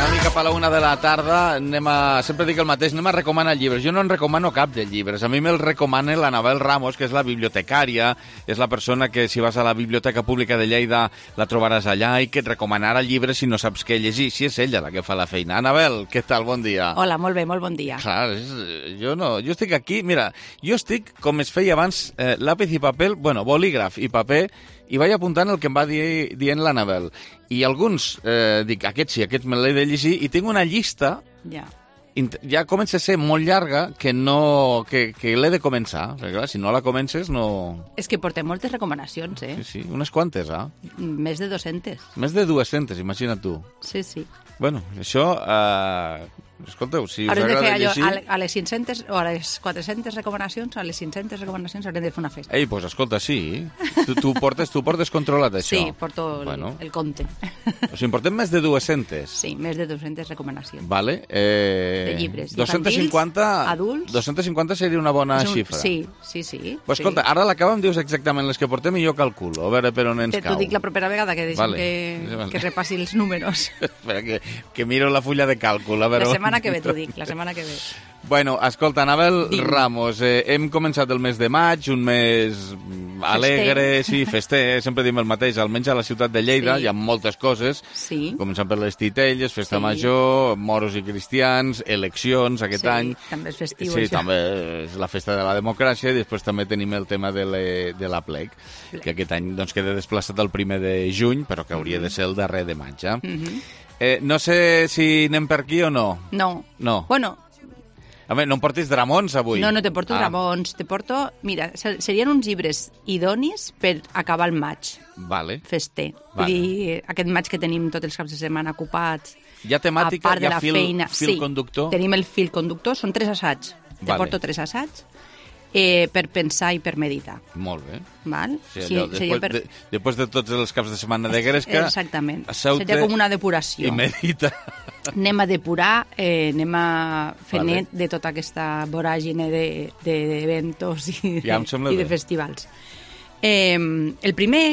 Una mica per la una de la tarda, anem a... sempre dic el mateix, anem a recomanar llibres. Jo no en recomano cap de llibres. A mi me'l recomana l'Anabel Ramos, que és la bibliotecària, és la persona que, si vas a la Biblioteca Pública de Lleida, la trobaràs allà i que et recomanarà llibres si no saps què llegir. Si és ella la que fa la feina. Anabel, què tal? Bon dia. Hola, molt bé, molt bon dia. Clar, és, jo no, jo estic aquí, mira, jo estic, com es feia abans, eh, lápiz i paper, bueno, bolígraf i paper, i vaig apuntant el que em va dir, dient l'Anabel. I alguns, eh, dic, aquest sí, aquest me l'he de llegir, i tinc una llista, ja, ja comença a ser molt llarga, que no que, que l'he de començar. Perquè, clar, si no la comences, no... És que portem moltes recomanacions, eh? Sí, sí, unes quantes, ah? Més de dos-centes. Més de dues-centes, imagina't tu. Sí, sí. Bueno, això... Eh, escolteu, si us haurem agrada de fer allò, llegir... a les cinc-centes o a les quatre-centes recomanacions, a les cinc-centes recomanacions haurem de fer una festa. Ei, doncs pues, escolta, sí. Tu, tu, portes, tu portes controlat, això. Sí, porto el, bueno. el compte. O sigui, portem més de dues-centes. Sí, més de dues-centes recomanacions. Vale. Eh, de llibres. dos-cents cinquanta, adults. dos-cents cinquanta seria una bona un, xifra. Sí, sí, sí. Pues escolta, sí. ara a l'acaba em dius exactament les que portem i jo calculo, a veure per on ens Te, cau. T'ho dic la propera vegada que deixem vale. que, vale. que repassi els números. Espera, que, que miro la fulla de càlcul. A veure la on... setmana que ve t'ho dic, la setmana que ve. Bueno, escolta, Anabel Dime. Ramos, eh, hem començat el mes de maig, un mes alegre, fester. sí, fester, sempre dim el mateix, almenys a la ciutat de Lleida sí. hi ha moltes coses, sí. començant per les titelles, festa sí. major, moros i cristians, eleccions aquest sí, any. també és festiu, sí, això. també és la festa de la democràcia, i després també tenim el tema de, le, de la plec, que aquest any doncs, queda desplaçat el primer de juny, però que hauria de ser el darrer de maig. Eh? Mm-hmm. Eh, no sé si anem per aquí o no. No. No. Bueno, a veure, no em portis dramons avui. no, no te porto ah. dramons, te porto... Mira, serien uns llibres idonis per acabar el maig. Vale. Fester. Vale. Vull dir, aquest maig que tenim tots els caps de setmana ocupats. Hi ha temàtica, a part hi de ha la fil, feina. fil sí, conductor? Tenim el fil conductor, són tres assaigs. Te Vale. porto tres assaigs eh, per pensar i per meditar. Molt bé. Val? Sí, Sí, allò, seria després, per... de, després de tots els caps de setmana de Gresca... Exactament. Seria Seria com una depuració. I medita. Anem a depurar, eh, anem a fer Vale. net de tota aquesta voràgine d'eventos de, de, i, ja de, i de festivals. Eh, el primer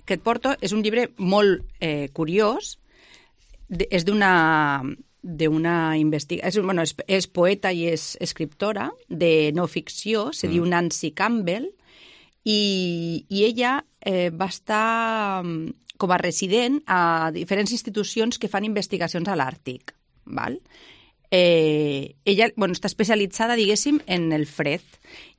que et porto és un llibre molt eh, curiós, de, és d'una d'una investigació, bueno, és, és poeta i és escriptora de no ficció, se mm. diu Nancy Campbell, i, i ella eh, va estar com a resident a diferents institucions que fan investigacions a l'Àrtic, val? Eh, ella bueno, està especialitzada, diguéssim, en el fred.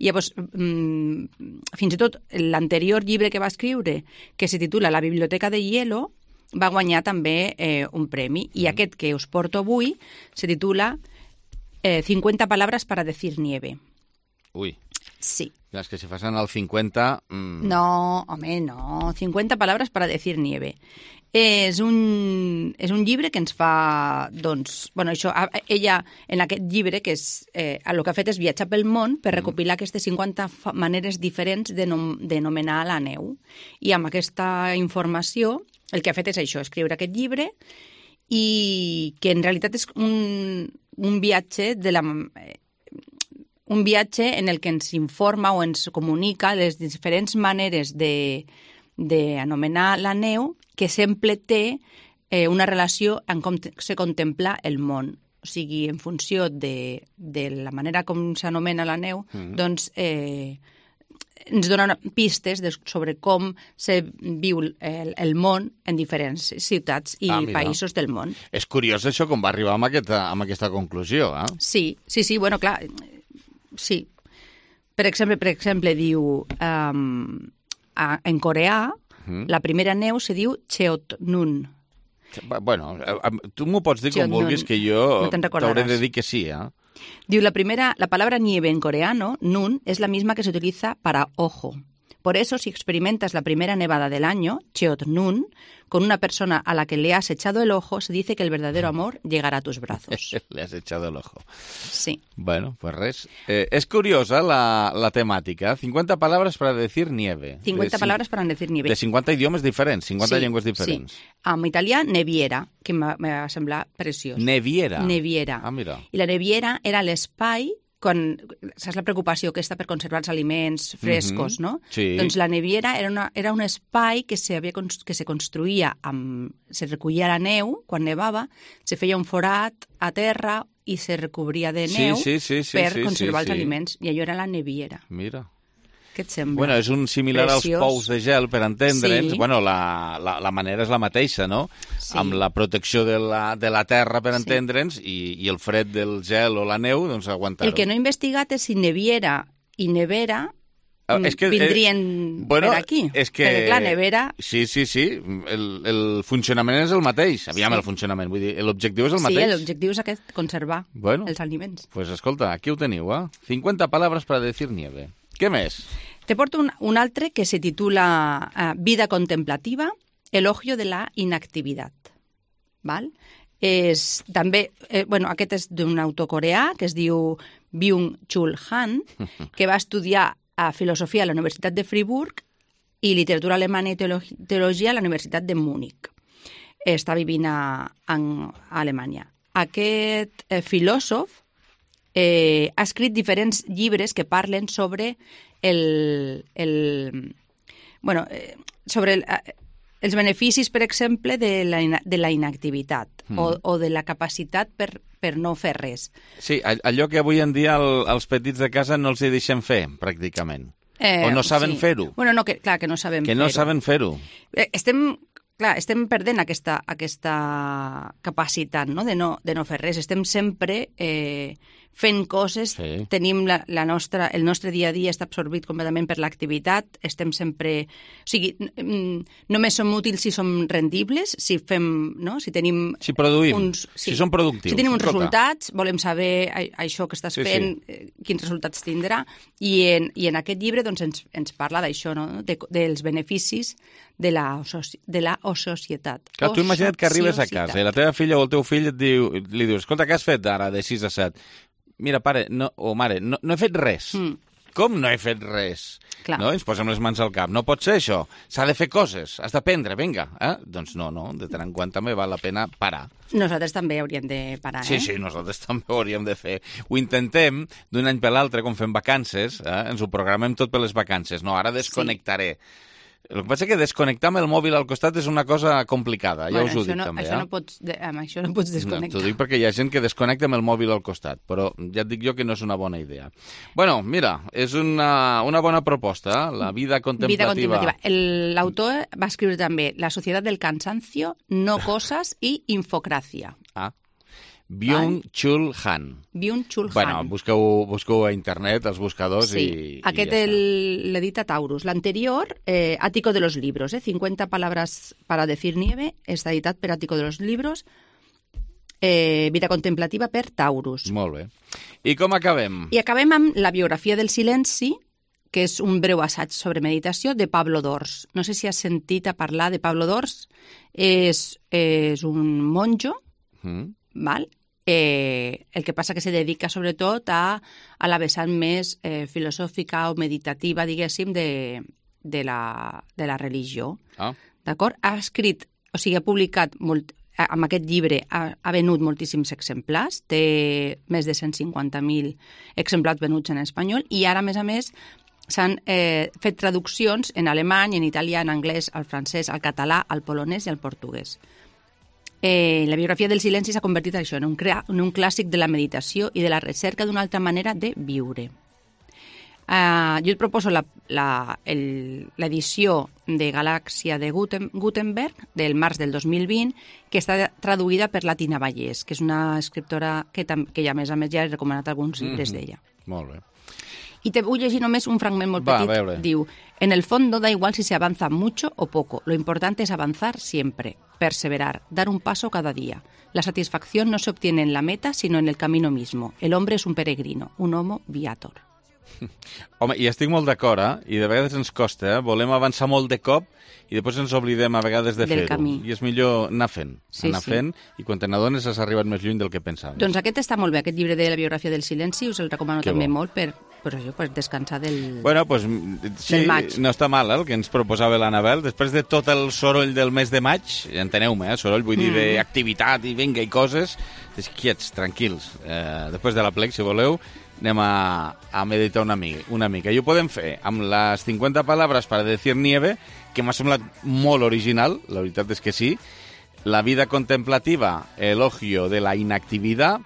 I llavors, mm, fins i tot l'anterior llibre que va escriure, que se titula La biblioteca de hielo, va guanyar també eh, un premi. I mm. aquest que us porto avui se titula eh, cincuenta palabras para decir nieve. Ui. Sí. És que si fas en el cinquanta... Mm... No, home, no. cincuenta palabras para decir nieve. És un, és un llibre que ens fa, doncs, bueno, això, ella, en aquest llibre, que és, eh, el que ha fet és viatjar pel món per recopilar mm. aquestes cinquanta maneres diferents d'anomenar la neu. I amb aquesta informació, el que ha fet és això, escriure aquest llibre, i que en realitat és un, un viatge de la... un viatge en el que ens informa o ens comunica les diferents maneres de d'anomenar la neu, que sempre té eh, una relació en com se contempla el món. O sigui, en funció de, de la manera com s'anomena la neu, mm-hmm. doncs eh, ens donen pistes de, sobre com se viu el, el món en diferents ciutats i ah, països del món. És curiós això com va arribar amb aquesta, amb aquesta conclusió, eh? Sí, sí, sí, bueno, clar, sí. Per exemple, per exemple diu... Um, a, en coreà, mm. la primera neu se diu Cheotnun. Bueno, tu m'ho pots dir com vulguis, que jo no t'hauré de dir que sí, eh? Diu, la primera, la palabra nieve en coreano, nun, es la misma que se utiliza para ojo. Por eso, si experimentas la primera nevada del año, Cheotnun, con una persona a la que le has echado el ojo, se dice que el verdadero amor llegará a tus brazos. Le has echado el ojo. Sí. Bueno, pues res. Eh, es curiosa la, la temàtica. cincuenta palabras para decir nieve. cincuenta de, palabras para decir nieve. De cinquanta idiomes diferents, cinquanta sí, llengües diferents. Sí. En italià, neviera, que me va semblar preciós. Neviera? Neviera. Ah, mira. I la neviera era l'espai quan saps la preocupació aquesta per conservar els aliments frescos, mm-hmm. no? Sí. Doncs la neviera era, una, era un espai que se, havia, que se construïa, amb, se recollia la neu quan nevava, se feia un forat a terra i se recobria de neu sí, sí, sí, sí, per sí, conservar sí, els sí. aliments. I allò era la neviera. Mira. Què et sembla? Bueno, és un similar Preciós. als pous de gel, per entendre'ns. Sí. Bueno, la, la, la manera és la mateixa, no? Sí. Amb la protecció de la, de la terra, per Sí. entendre'ns, i, i el fred del gel o la neu, doncs aguantar-ho. El que no he investigat és si neviera i nevera Ah, és que, vindrien eh, bueno, per aquí. És que... Perquè, clar, nevera... Sí, sí, sí. El, el funcionament és el mateix. Aviam Sí. el funcionament. Vull dir, l'objectiu és el Sí, mateix. l'objectiu és aquest, conservar Bueno. els aliments. Pues escolta, aquí ho teniu, eh? cincuenta palabras para decir nieve. Què més? Te porto un, un altre que se titula uh, Vida contemplativa, elogio de la inactivitat. Val? És, també, eh, bueno, aquest és d'un autor coreà que es diu Byung-Chul Han, que va estudiar a filosofia a la Universitat de Friburg i literatura alemana i teologia, teologia a la Universitat de Múnich. Està vivint a, a, a Alemanya. Aquest eh, filòsof eh, ha escrit diferents llibres que parlen sobre el, el bueno, eh, sobre el, eh, els beneficis, per exemple, de la, de la inactivitat mm. o, o de la capacitat per, per no fer res. Sí, allò que avui en dia el, els petits de casa no els hi deixem fer, pràcticament. Eh, o no saben sí. fer-ho. Bueno, no, que, clar, que no sabem Que fer-ho. no saben fer-ho. Eh, estem, clar, estem perdent aquesta, aquesta capacitat, no? De, no, de no fer res. Estem sempre eh, fent coses, Sí. tenim la, la nostra, el nostre dia a dia està absorbit completament per l'activitat, estem sempre... O sigui, mm, només som útils si som rendibles, si fem, no? Si tenim... Si produïm, uns, si som productius. Si tenim uns Escolta. resultats, volem saber a, això que estàs Sí, fent, eh, quins resultats tindrà, i en, i en aquest llibre doncs, ens, ens parla d'això, no? De, dels beneficis de la, soci, de la societat. Clar, tu imagina't que arribes a casa i la teva filla o el teu fill et diu, li dius, escolta, què has fet ara de sis a set? Mira, pare, no, o mare, no, no he fet res. Mm. Com no he fet res? Clar. No? Ens posem les mans al cap. No pot ser això. S'ha de fer coses. Has d'aprendre, vinga. Eh? Doncs no, no. De tant en quant també val la pena parar. Nosaltres també hauríem de parar, Sí, eh? sí, nosaltres també ho hauríem de fer. Ho intentem d'un any per l'altre, quan fem vacances, eh? Ens ho programem tot per les vacances. No, ara desconnectaré. Sí. El que passa és que desconnectar amb el mòbil al costat és una cosa complicada, ja Bueno, us ho això dic no, també. això eh? no pots, de, amb això no pots No, desconnectar. t'ho dic perquè hi ha gent que desconnecta amb el mòbil al costat, però ja et dic jo que no és una bona idea. Bueno, mira, és una, una bona proposta, eh? La vida contemplativa. Vida contemplativa. El- L'autor va escriure també La societat del cansancio, no coses i infocràcia. Ah. Byung-Chul Han. Byung-Chul Han. Bueno, busqueu, busqueu a internet, als buscadors, Sí, i, aquest i ja el- l'edita Taurus. L'anterior, eh, Ático de los Libros, eh, cincuenta palabras para decir nieve, està editat per Ático de los Libros, eh, Vida contemplativa per Taurus. està. Molt bé. I com acabem? I acabem amb La biografia del silenci, que és un breu assaig sobre meditació de Pablo Dors. No sé si has sentit a parlar de Pablo Dors. És, és un monjo, Mm. val? Eh, el que passa que se dedica sobretot a, a la vessant més eh, filosòfica o meditativa, diguéssim, de, de, la, de la religió. Ah. D'acord? Ha escrit, o sigui, ha publicat, molt, amb aquest llibre ha, ha venut moltíssims exemplars, té més de cent cinquanta mil exemplars venuts en espanyol, i ara, a més a més, s'han eh, fet traduccions en alemany, en italià, en anglès, al francès, al català, al polonès i al portuguès. Eh, la biografia del silenci s'ha convertit això, en un, crea, en un clàssic de la meditació i de la recerca d'una altra manera de viure. Uh, jo et proposo l'edició de Galàxia de Guten, Gutenberg del març del dos mil vint, que està traduïda per la Tina Vallès, que és una escriptora que, tam, que ja, a més a més, ja he recomanat alguns llibres Mm-hmm. d'ella. Molt bé. Y te voy a decir només un fragment molt Va, petit. a veure. Diu, en el fondo da igual si se avanza mucho o poco. Lo importante es avanzar siempre, perseverar, dar un paso cada día. La satisfacción no se obtiene en la meta, sino en el camino mismo. El hombre es un peregrino, un homo viator. Home, i estic molt d'acord, eh? I de vegades ens costa, eh? Volem avançar molt de cop i després ens oblidem a vegades de Del fer-ho. camí. I és millor anar fent. Sí, anar sí. fent, i quan te n'adones has arribat més lluny del que pensaves. Doncs aquest està molt bé, aquest llibre de la biografia del silenci, us el recomano Que també bo. molt per, per, això, per descansar del... Bueno, doncs sí, Del maig. no està mal, eh, el que ens proposava l'Anabel. Després de tot el soroll del mes de maig, enteneu-me, eh, soroll vull dir d'activitat i vinga i coses, és quiets, tranquils. Eh, després de la plec, si voleu, anem a, a meditar una mica, una mica. I ho podem fer amb les cincuenta palabras para decir nieve, que m'ha semblat molt original, la veritat és que sí, la vida contemplativa, elogio de la inactividad,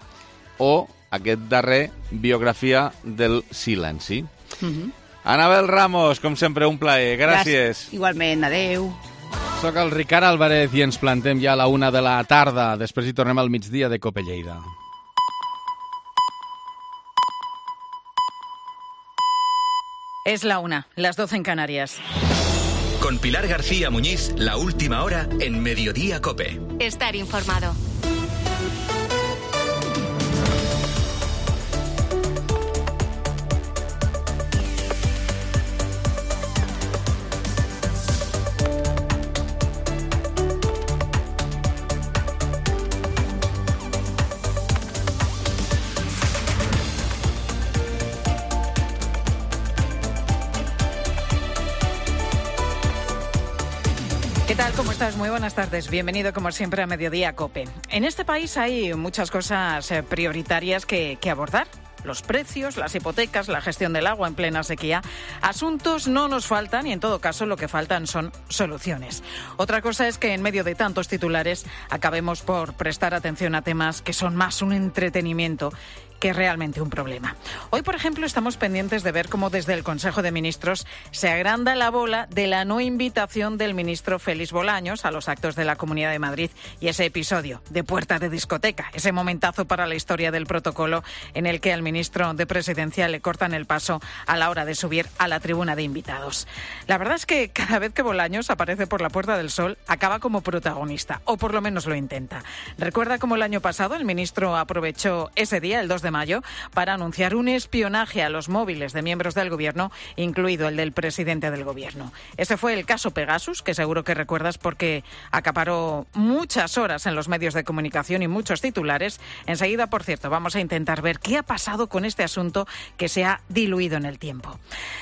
o aquest darrer, biografia del silenci. Mhm. Anabel Ramos, com sempre, un plaer. Gràcies. Igualment, adeu. Soc el Ricard Álvarez i ens plantem ja a la una de la tarda. Després hi tornem al migdia de Cope Lleida. Es la una, las doce en Canarias. Con Pilar García Muñiz, la última hora en Mediodía Cope. Estar informado. ¿Qué tal? ¿Cómo estás? Muy buenas tardes. Bienvenido, como siempre, a Mediodía Cope. En este país hay muchas cosas eh, prioritarias que, que abordar. Los precios, las hipotecas, la gestión del agua en plena sequía. Asuntos no nos faltan y, en todo caso, lo que faltan son soluciones. Otra cosa es que, en medio de tantos titulares, acabemos por prestar atención a temas que son más un entretenimiento que realmente un problema. Hoy, por ejemplo, estamos pendientes de ver cómo desde el Consejo de Ministros se agranda la bola de la no invitación del ministro Félix Bolaños a los actos de la Comunidad de Madrid y ese episodio de puerta de discoteca, ese momentazo para la historia del protocolo en el que al ministro de Presidencia le cortan el paso a la hora de subir a la tribuna de invitados. La verdad es que cada vez que Bolaños aparece por la Puerta del Sol acaba como protagonista, o por lo menos lo intenta. Recuerda cómo el año pasado el ministro aprovechó ese día, el dos de mayo, para anunciar un espionaje a los móviles de miembros del gobierno, incluido el del presidente del gobierno. Ese fue el caso Pegasus, que seguro que recuerdas porque acaparó muchas horas en los medios de comunicación y muchos titulares. Enseguida, por cierto, vamos a intentar ver qué ha pasado con este asunto que se ha diluido en el tiempo.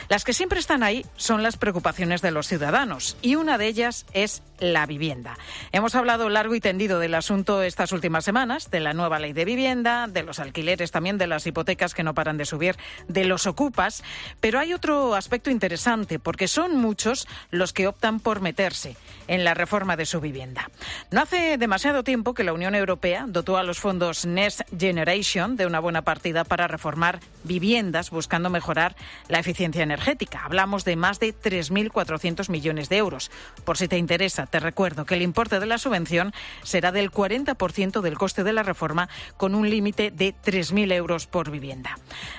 Las que siempre están ahí son las preocupaciones de los ciudadanos, y una de ellas es la vivienda. Hemos hablado largo y tendido del asunto estas últimas semanas, de la nueva ley de vivienda, de los alquileres, también de las hipotecas que no paran de subir, de los ocupas, pero hay otro aspecto interesante, porque son muchos los que optan por meterse en la reforma de su vivienda. No hace demasiado tiempo que la Unión Europea dotó a los fondos Next Generation de una buena partida para reformar viviendas buscando mejorar la eficiencia energética. Hablamos de más de tres mil cuatrocientos millones de euros. Por si te interesa, te recuerdo que el importe de la subvención será del cuarenta por ciento del coste de la reforma, con un límite de tres mil euros por vivienda.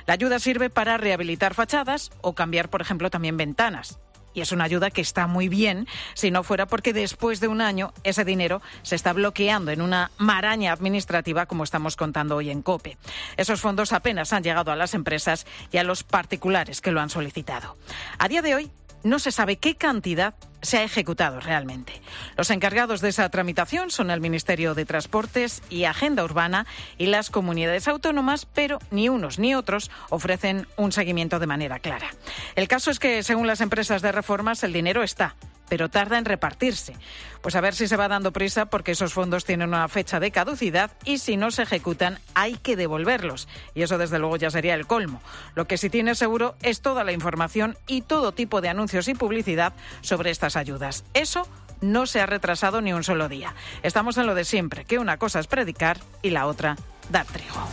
La ayuda sirve para rehabilitar fachadas o cambiar, por ejemplo, también ventanas. Y es una ayuda que está muy bien, si no fuera porque después de un año ese dinero se está bloqueando en una maraña administrativa, como estamos contando hoy en COPE. Esos fondos apenas han llegado a las empresas y a los particulares que lo han solicitado. A día de hoy no se sabe qué cantidad se ha ejecutado realmente. Los encargados de esa tramitación son el Ministerio de Transportes y Agenda Urbana y las comunidades autónomas, pero ni unos ni otros ofrecen un seguimiento de manera clara. El caso es que, según las empresas de reformas, el dinero está, pero tarda en repartirse. Pues a ver si se va dando prisa, porque esos fondos tienen una fecha de caducidad y si no se ejecutan hay que devolverlos. Y eso, desde luego, ya sería el colmo. Lo que sí tiene seguro es toda la información y todo tipo de anuncios y publicidad sobre estas ayudas. Eso no se ha retrasado ni un solo día. Estamos en lo de siempre, que una cosa es predicar y la otra dar trigo.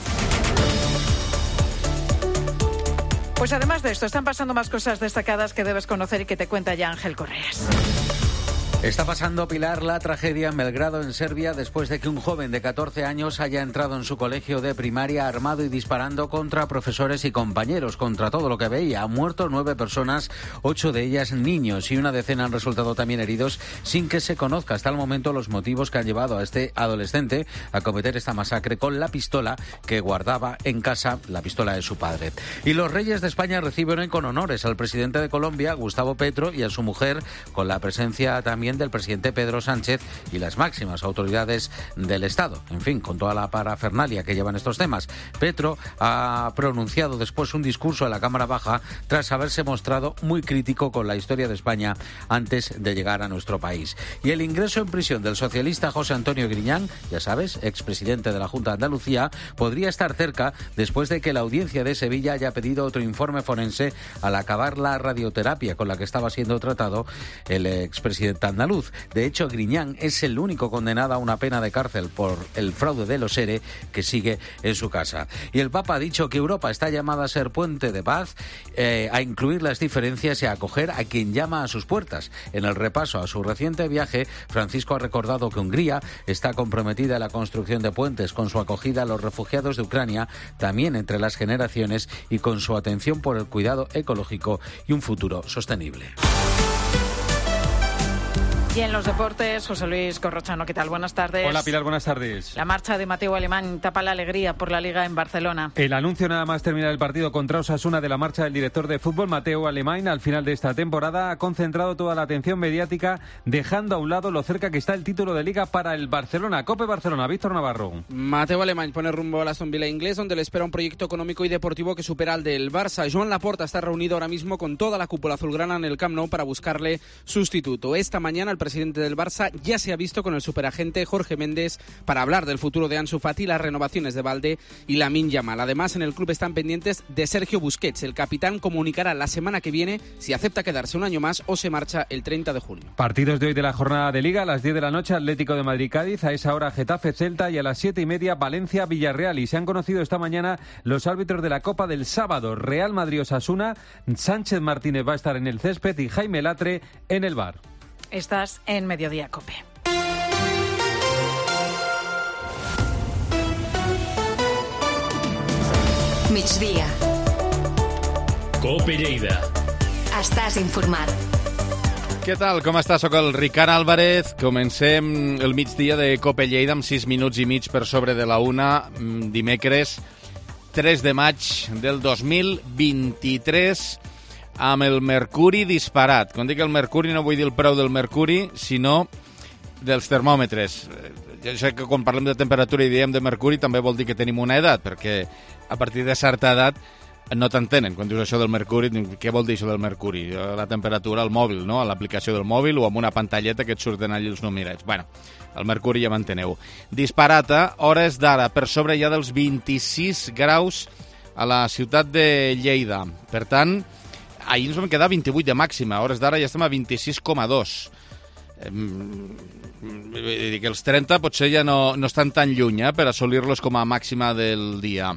Pues además de esto, están pasando más cosas destacadas que debes conocer y que te cuenta ya Ángel Correas. Está pasando, Pilar, la tragedia en Belgrado, en Serbia, después de que un joven de catorce años haya entrado en su colegio de primaria armado y disparando contra profesores y compañeros, contra todo lo que veía. Han muerto nueve personas, ocho de ellas niños, y una decena han resultado también heridos, sin que se conozca hasta el momento los motivos que han llevado a este adolescente a cometer esta masacre con la pistola que guardaba en casa, la pistola de su padre. Y los reyes de España recibieron con honores al presidente de Colombia, Gustavo Petro, y a su mujer, con la presencia también también del presidente Pedro Sánchez y las máximas autoridades del Estado. En fin, con toda la parafernalia que llevan estos temas. Petro ha pronunciado después un discurso en la Cámara Baja tras haberse mostrado muy crítico con la historia de España antes de llegar a nuestro país. Y el ingreso en prisión del socialista José Antonio Griñán, ya sabes, expresidente de la Junta de Andalucía, podría estar cerca después de que la audiencia de Sevilla haya pedido otro informe forense al acabar la radioterapia con la que estaba siendo tratado el expresidente andaluz. De hecho, Griñán es el único condenado a una pena de cárcel por el fraude de los ERE que sigue en su casa. Y el Papa ha dicho que Europa está llamada a ser puente de paz, eh, a incluir las diferencias y a acoger a quien llama a sus puertas. En el repaso a su reciente viaje, Francisco ha recordado que Hungría está comprometida en la construcción de puentes con su acogida a los refugiados de Ucrania, también entre las generaciones, y con su atención por el cuidado ecológico y un futuro sostenible. Y en los deportes, José Luis Corrochano, ¿qué tal? Buenas tardes. Hola Pilar, buenas tardes. La marcha de Mateu Alemán tapa la alegría por la Liga en Barcelona. El anuncio nada más terminar el partido contra Osasuna de la marcha del director de fútbol Mateu Alemán al final de esta temporada ha concentrado toda la atención mediática, dejando a un lado lo cerca que está el título de Liga para el Barcelona. COPE Barcelona, Víctor Navarro. Mateu Alemán pone rumbo al Aston Villa inglés, donde le espera un proyecto económico y deportivo que supera al del Barça. Joan Laporta está reunido ahora mismo con toda la cúpula azulgrana en el Camp Nou para buscarle sustituto. Esta mañana el presidente del Barça ya se ha visto con el superagente Jorge Méndez para hablar del futuro de Ansu Fati, las renovaciones de Balde y Lamine Yamal. Además, en el club están pendientes de Sergio Busquets. El capitán comunicará la semana que viene si acepta quedarse un año más o se marcha el treinta de junio. Partidos de hoy de la jornada de Liga: a las diez de la noche Atlético de Madrid-Cádiz, a esa hora Getafe-Celta, y a las siete y media Valencia-Villarreal. Y se han conocido esta mañana los árbitros de la Copa del sábado: Real Madrid-Osasuna, Sánchez Martínez va a estar en el césped y Jaime Latre en el V A R. Estás en Mediodía COPE. Migdia. COPE Lleida. Estàs informat. Què tal? Com està? Soc el Ricard Álvarez. Comencem el migdia de COPE Lleida amb sis minuts i mig per sobre de la una, dimecres tres de maig del dos mil vint-i-tres, amb el mercuri disparat. Quan dic el mercuri no vull dir el preu del mercuri, sinó dels termòmetres. Jo sé que quan parlem de temperatura i diem de mercuri també vol dir que tenim una edat, perquè a partir de certa edat no t'entenen. Quan dius això del mercuri, què vol dir això del mercuri? La temperatura al mòbil, no? A l'aplicació del mòbil o amb una pantalleta que et surten allà els numerets. Bueno, el mercuri ja m'enteneu. Disparat a hores d'ara, per sobre ja dels vint-i-sis graus a la ciutat de Lleida. Per tant, ahir ens vam quedar vint-i-vuit de màxima, a hores d'ara ja estem a vint-i-sis coma dos. Eh, vull dir que els trenta potser ja no, no estan tan lluny eh, per assolir-los com a màxima del dia.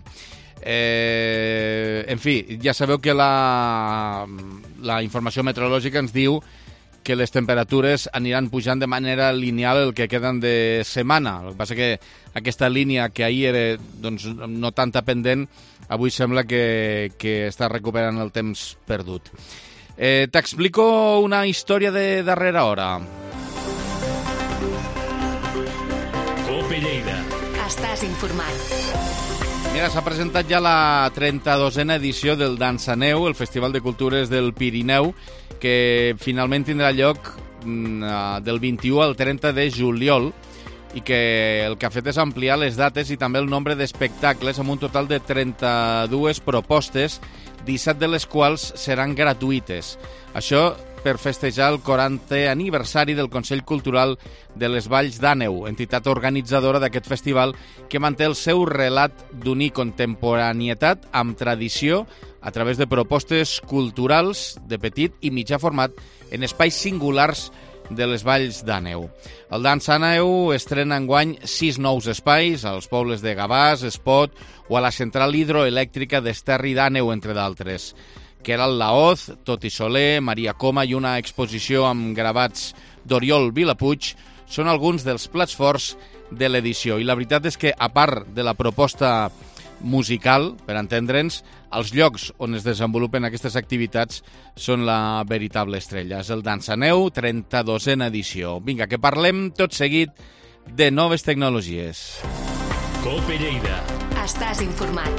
Eh, en fi, ja sabeu que la, la informació meteorològica ens diu que les temperatures aniran pujant de manera lineal el que queden de setmana. El que passa que aquesta línia que ahir era doncs, no tanta pendent, avui sembla que, que està recuperant el temps perdut. Eh, T'explico una història de darrera hora. COPE Lleida. Estàs informat. Mira, s'ha presentat ja la trenta-dosena edició del Dansaneu, el Festival de Cultures del Pirineu, que finalment tindrà lloc del vint-i-u al trenta de juliol i que el que ha fet és ampliar les dates i també el nombre d'espectacles amb un total de trenta-dues propostes, disset de les quals seran gratuïtes. Això per festejar el quarantè aniversari del Consell Cultural de les Valls d'Àneu, entitat organitzadora d'aquest festival que manté el seu relat d'unir contemporanietat amb tradició a través de propostes culturals de petit i mitjà format en espais singulars de les Valls d'Àneu. El Dansaneu estrena enguany sis nous espais als pobles de Gavàs, Espot o a la central hidroelèctrica d'Esterri d'Àneu, entre d'altres. Queralt Laoz, Toti Soler, Maria Coma i una exposició amb gravats d'Oriol Vilapuig són alguns dels plats forts de l'edició. I la veritat és que, a part de la proposta musical, per entendre'ns, els llocs on es desenvolupen aquestes activitats són la veritable estrella. És el Dansaneu, trenta-dosena edició. Vinga, que parlem tot seguit de noves tecnologies. COPE Lleida. Estàs informat.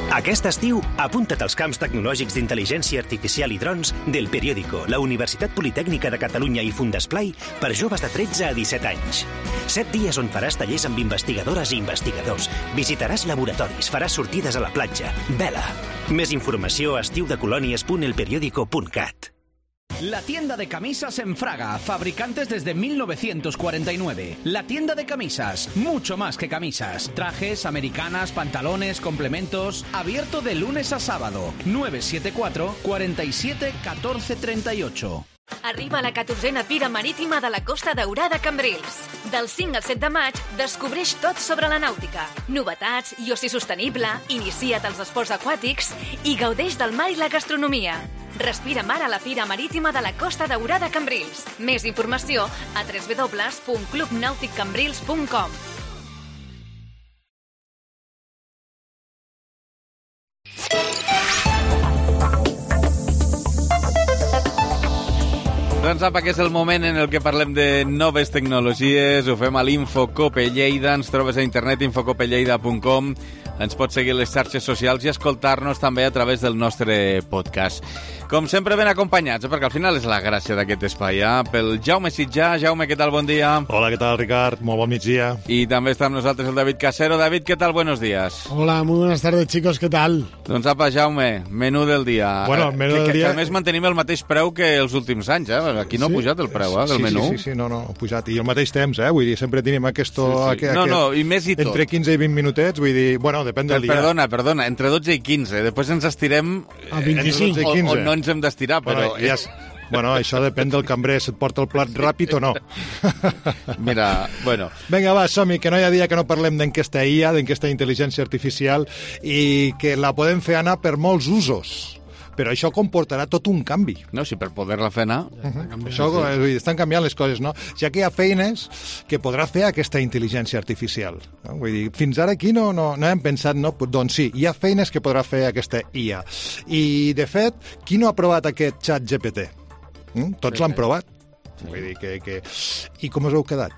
Aquest estiu, apunta't als camps tecnològics d'intel·ligència artificial i drons del Periódico, la Universitat Politècnica de Catalunya i Fundesplai per joves de tretze a disset anys. Set dies on faràs tallers amb investigadores i investigadors, visitaràs laboratoris, faràs sortides a la platja. Vela! Més informació a estiudecolònies punt el periódico punt cat. La tienda de camisas en Fraga, fabricantes desde mil novecientos cuarenta y nueve. La tienda de camisas, mucho más que camisas. Trajes, americanas, pantalones, complementos. Abierto de lunes a sábado. nueve siete cuatro, cuatro siete, uno cuatro tres ocho. Arriba la catorzena Fira Marítima de la Costa Daurada Cambrils. Del cinc al set de maig, descobreix tot sobre la nàutica, novetats i oci sostenible, inicia't als esports aquàtics i gaudeix del mar i la gastronomia. Respira mar a la Fira Marítima de la Costa Daurada Cambrils. Més informació a w w w punt club nàutic cambrils punt com. Doncs apa, que és el moment en el que parlem de noves tecnologies, ho fem a l'Infocope Lleida, ens trobes a internet infocope lleida punt com, ens pots seguir a les xarxes socials i escoltar-nos també a través del nostre podcast. Com sempre ben acompanyats, eh? perquè al final és la gràcia d'aquest espai, eh? pel Jaume Sitjà. Jaume, què tal? Bon dia. Hola, què tal, Ricard? Molt bon migdia. I també està amb nosaltres el David Casero. David, què tal? Buenos días. Hola, muy buenas tardes, chicos, què tal? Doncs apa, Jaume, menú del dia. Bueno, menú que, del que, dia... Que a més mantenim el mateix preu que els últims anys, eh? Aquí no sí? ha pujat el preu, eh, del sí, menú. Sí, sí, sí, no, no, ha pujat. I al mateix temps, eh? Vull dir, sempre tenim aquesto, sí, sí. Aquest, no, no, i més i tot. Entre quinze i vint minutets, vull dir, bueno, depèn del dia. Perdona, perdona, entre dotze i quinze. Després ens estirem... A vint-i-cinc. O, o no ens hem d'estirar, però... Bueno, ja és... Bueno, això depèn del cambrer, si et porta el plat ràpid o no. Mira, bueno... Vinga, va, som-hi, que no hi ha dia que no parlem d'enquesta I A, d'enquesta d'intel·ligència artificial, i que la podem fer anar per molts usos. Però això comportarà tot un canvi. No, si per poder-la fer anar... Uh -huh. Això, sí. Estan canviant les coses, no? Ja que hi ha feines que podrà fer aquesta intel·ligència artificial. No? Vull dir, fins ara aquí no, no, no hem pensat, no? Doncs sí, hi ha feines que podrà fer aquesta I A. I, de fet, qui no ha provat aquest xat G P T? Mm? Tots l'han provat. Sí. Vull dir que, que... I com us heu quedat?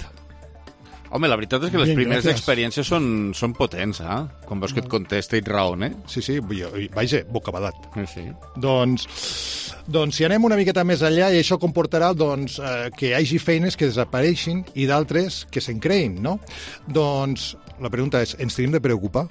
Home, la veritat és que les Bien, primeres gràcies. experiències són, són potents, eh? Quan veus que et contesta i et raona, eh? Sí, sí, vaja, bocabadat. Sí, sí. Doncs, doncs si anem una miqueta més enllà, i això comportarà doncs, eh, que hi hagi feines que desapareixin i d'altres que se'n creïn, no? Doncs la pregunta és, ens tenim de preocupar?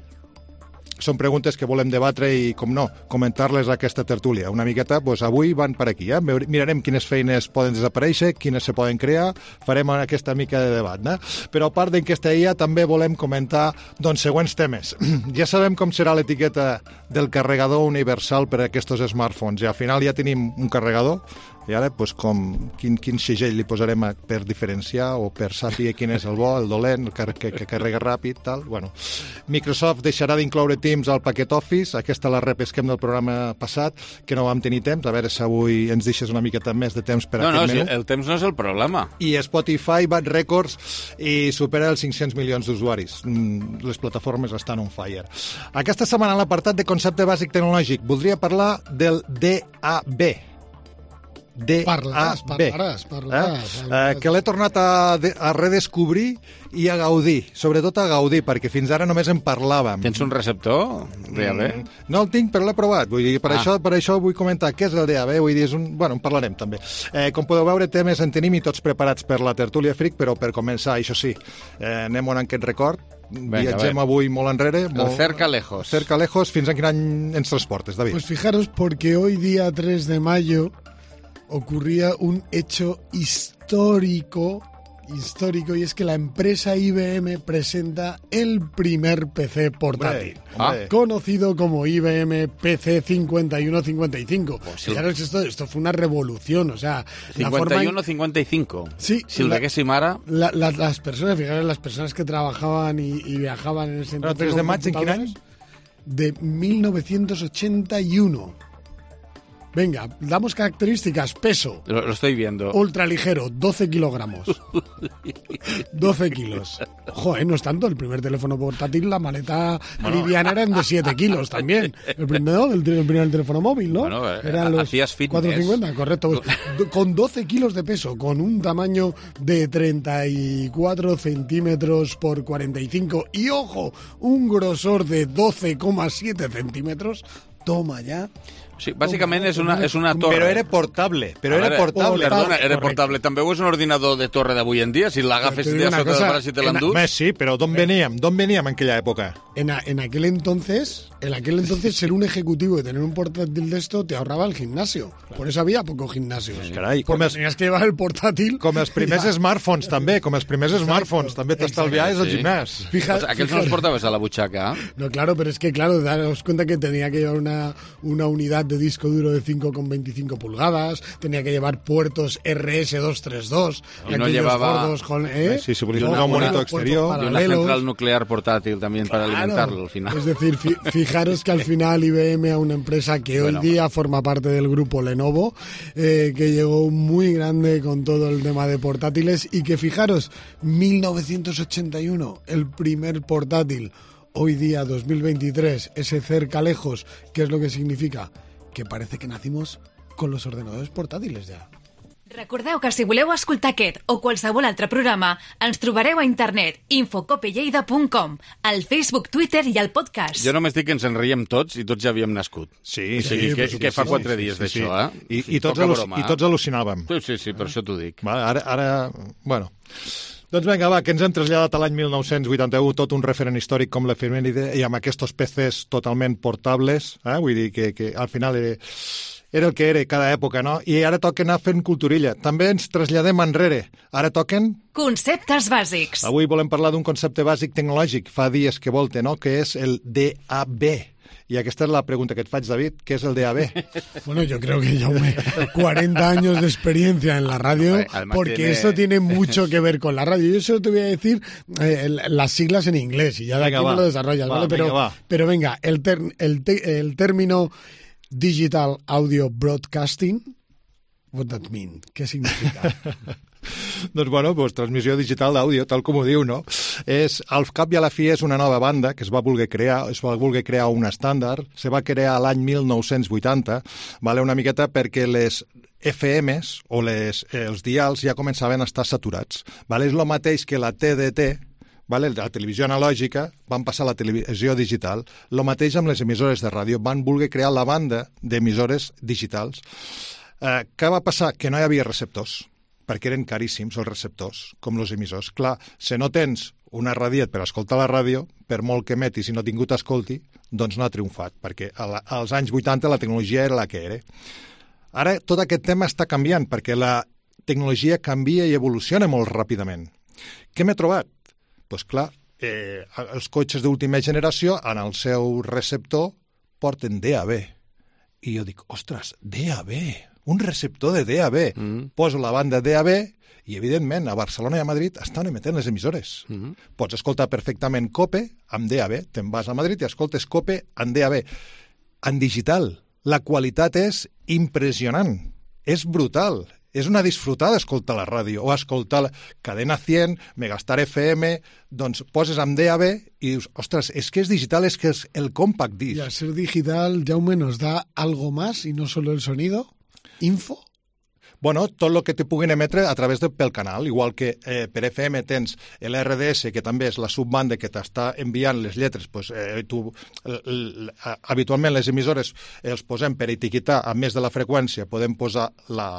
Són preguntes que volem debatre i, com no, comentar-les a aquesta tertúlia. Una miqueta, doncs avui van per aquí, eh? Mirarem quines feines poden desaparèixer, quines se poden crear, farem aquesta mica de debat, eh? Però a part d'aquesta I A també volem comentar, doncs, següents temes. Ja sabem com serà l'etiqueta del carregador universal per a aquests smartphones, i al final ja tenim un carregador, i ara, doncs, com, quin, quin segell li posarem a, per diferenciar o per saber quin és el bo, el dolent, el que, que, que carrega ràpid, tal. Bueno, Microsoft deixarà d'incloure Teams al paquet Office, aquesta la repesquem del programa passat, que no vam tenir temps, a veure si avui ens deixes una miqueta més de temps per no, aquest no, menú. No, el temps no és el problema. I Spotify bat rècords i supera els cinc-cents milions d'usuaris. Les plataformes estan on fire. Aquesta setmana, en l'apartat de concepte bàsic tecnològic, voldria parlar del D A B. D A B. Parlaràs, parlaràs, parlaràs. Eh? Eh, que l'he tornat a, de, a redescobrir i a gaudir, sobretot a gaudir, perquè fins ara només en parlàvem. Tens un receptor D A B? Mm, no el tinc, però l'he provat. Vull dir, per, ah. això, per això vull comentar què és el D A B. Vull dir, és un... Bueno, en parlarem també. Eh, com podeu veure, temes en tenim i tots preparats per la tertúlia fric, però per començar, això sí, eh, anem on aquest record. Venga, viatgem avui molt enrere. Molt... El cerca lejos. Cerca lejos. Fins a quin any ens transportes, David? Pues fijaros, porque hoy, día tres de mayo, ocurría un hecho histórico, histórico, y es que la empresa I B M presenta el primer P C portátil, hombre, hombre. conocido como I B M P C cincuenta y uno cincuenta y cinco. Pues sí. Fijaros, esto, esto fue una revolución, o sea... cincuenta y uno cincuenta y cinco. Sí. Si el diguéssim ara... La, la, las personas, fijaros, las personas que trabajaban y, y viajaban en ese entonces... tres de maig, ¿en quin any? De mil novecientos ochenta y uno. Venga, damos características. Peso. Lo, lo estoy viendo. Ultraligero, doce kilogramos. doce kilos. Ojo, ¿eh? No es tanto. El primer teléfono portátil, la maleta bueno. liviana eran de siete kilos también. El primero, el, el primer teléfono móvil, ¿no? Bueno, eran los hacías fitness. cuatrocientos cincuenta, correcto. Con doce kilos de peso, con un tamaño de treinta y cuatro centímetros por cuarenta y cinco y, ojo, un grosor de doce coma siete centímetros. Toma ya. Sí, bàsicament és una, és una torre. Però era portable. Però era portable. Perdona, era portable. També és un ordinador de torre d'avui en dia, si l'agafes de sota del braç i te l'endús. Sí, però d'on veníem? D'on veníem en aquella època? En, a, en aquel entonces, en aquel entonces ser un ejecutivo y tener un portátil de esto te ahorraba el gimnasio. Claro. Por eso había pocos gimnasios. Sí, carai, com els, tenías que llevar el portátil. Com els primers ja. smartphones, també. Com els primers exacto, smartphones. També t'estalviaves sí. al gimnàs. Fija, pues aquells no els portaves a la butxaca. No, claro, pero es que, claro, daros cuenta que tenía que llevar una, una unidad de disco duro de cinco coma veinticinco pulgadas, tenía que llevar puertos R S doscientos treinta y dos. Y no llevaba... Gordos con, ¿eh? Sí, se volvía un monitor exterior. Y una central nuclear portátil también para claro. alimentarlo al final. Es decir, fi fijaros que al final I B M, a una empresa que bueno, hoy día bueno. forma parte del grupo Lenovo, eh, que llegó muy grande con todo el tema de portátiles y que fijaros, mil novecientos ochenta y uno, el primer portátil. Hoy día, dos mil veintitrés, ese cerca lejos, ¿qué es lo que significa? Que parece que nacimos con los ordenadores portàtils ja. Recordeu que si voleu escoltar aquest o qualsevol altre programa, ens trobareu a internet infocopelleida punt com, al Facebook, Twitter i al podcast. Jo només dic que ens en riem tots i tots ja havíem nascut. Sí, o sigui, sí. Que, sí, que fa sí, quatre sí, dies sí, d'això, sí. eh? I, i, tots broma, I tots al·lucinàvem. Sí, sí, sí, per això t'ho dic. Va, ara, ara, bueno... Doncs vinga, va, que ens hem traslladat a l'any mil nou-cents vuitanta-u, tot un referent històric com l'efemèride, i amb aquests P Cs totalment portables, eh? Vull dir que, que al final era, era el que era cada època, no? I ara toca anar fent culturilla. També ens traslladem enrere. Ara toquen... Conceptes bàsics. Avui volem parlar d'un concepte bàsic tecnològic, fa dies que volte, no? Que és el D A B. Y esta es la pregunta que te faig, David, ¿qué es el D A B? Bueno, yo creo que ya cuarenta años de experiencia en la radio, Además porque tiene... esto tiene mucho que ver con la radio. Yo solo te voy a decir eh, las siglas en inglés y ya de venga, aquí va. me lo desarrollas, va, ¿vale? Pero venga, va. pero venga, el, ter el, te el término Digital Audio Broadcasting, what that mean? ¿Qué significa? Doncs, bueno, pues, transmissió digital d'àudio, tal com ho diu, no? És, al cap i a la fi és una nova banda que es va voler crear, es va voler crear un estàndard, se va crear l'any mil nou-cents vuitanta, vale, una miqueta perquè les F Ms o les, eh, els dials ja començaven a estar saturats. Vale? És el mateix que la T D T, vale? La televisió analògica, van passar a la televisió digital. El mateix amb les emissores de ràdio, van voler crear la banda d'emissores digitals. Eh, què va passar? Que no hi havia receptors, perquè eren caríssims els receptors, com els emissors. Clar, si no tens una radiet per escoltar la ràdio, per molt que emetis i no tingut escolti, doncs no ha triomfat, perquè als anys vuitanta la tecnologia era la que era. Ara tot aquest tema està canviant, perquè la tecnologia canvia i evoluciona molt ràpidament. Què m'he trobat? Doncs clar, eh, els cotxes d'última generació, en el seu receptor, porten D A B. I jo dic, ostres, D A B... un receptor de D A B. Mm. Poso la banda D A B i, evidentment, a Barcelona i a Madrid estan emetent les emissores. Mm. Pots escoltar perfectament COPE amb D A B. Te'n vas a Madrid i escoltes COPE amb D A B. En digital, la qualitat és impressionant. És brutal. És una disfrutada escoltar la ràdio o escoltar Cadena cent, Megastar F M, doncs poses amb D A B i dius, ostres, és que és digital, és que és el compact disc. Y al ser digital, Jaume, nos da algo más y no solo el sonido. Info? Bueno, tot el que te puguin emetre a través de, pel canal, igual que eh, per F M tens l'R D S, que també és la subbanda que t'està enviant les lletres, pues, eh, tu, l, l, habitualment les emissores els posem per etiquetar, a més de la freqüència, podem posar la...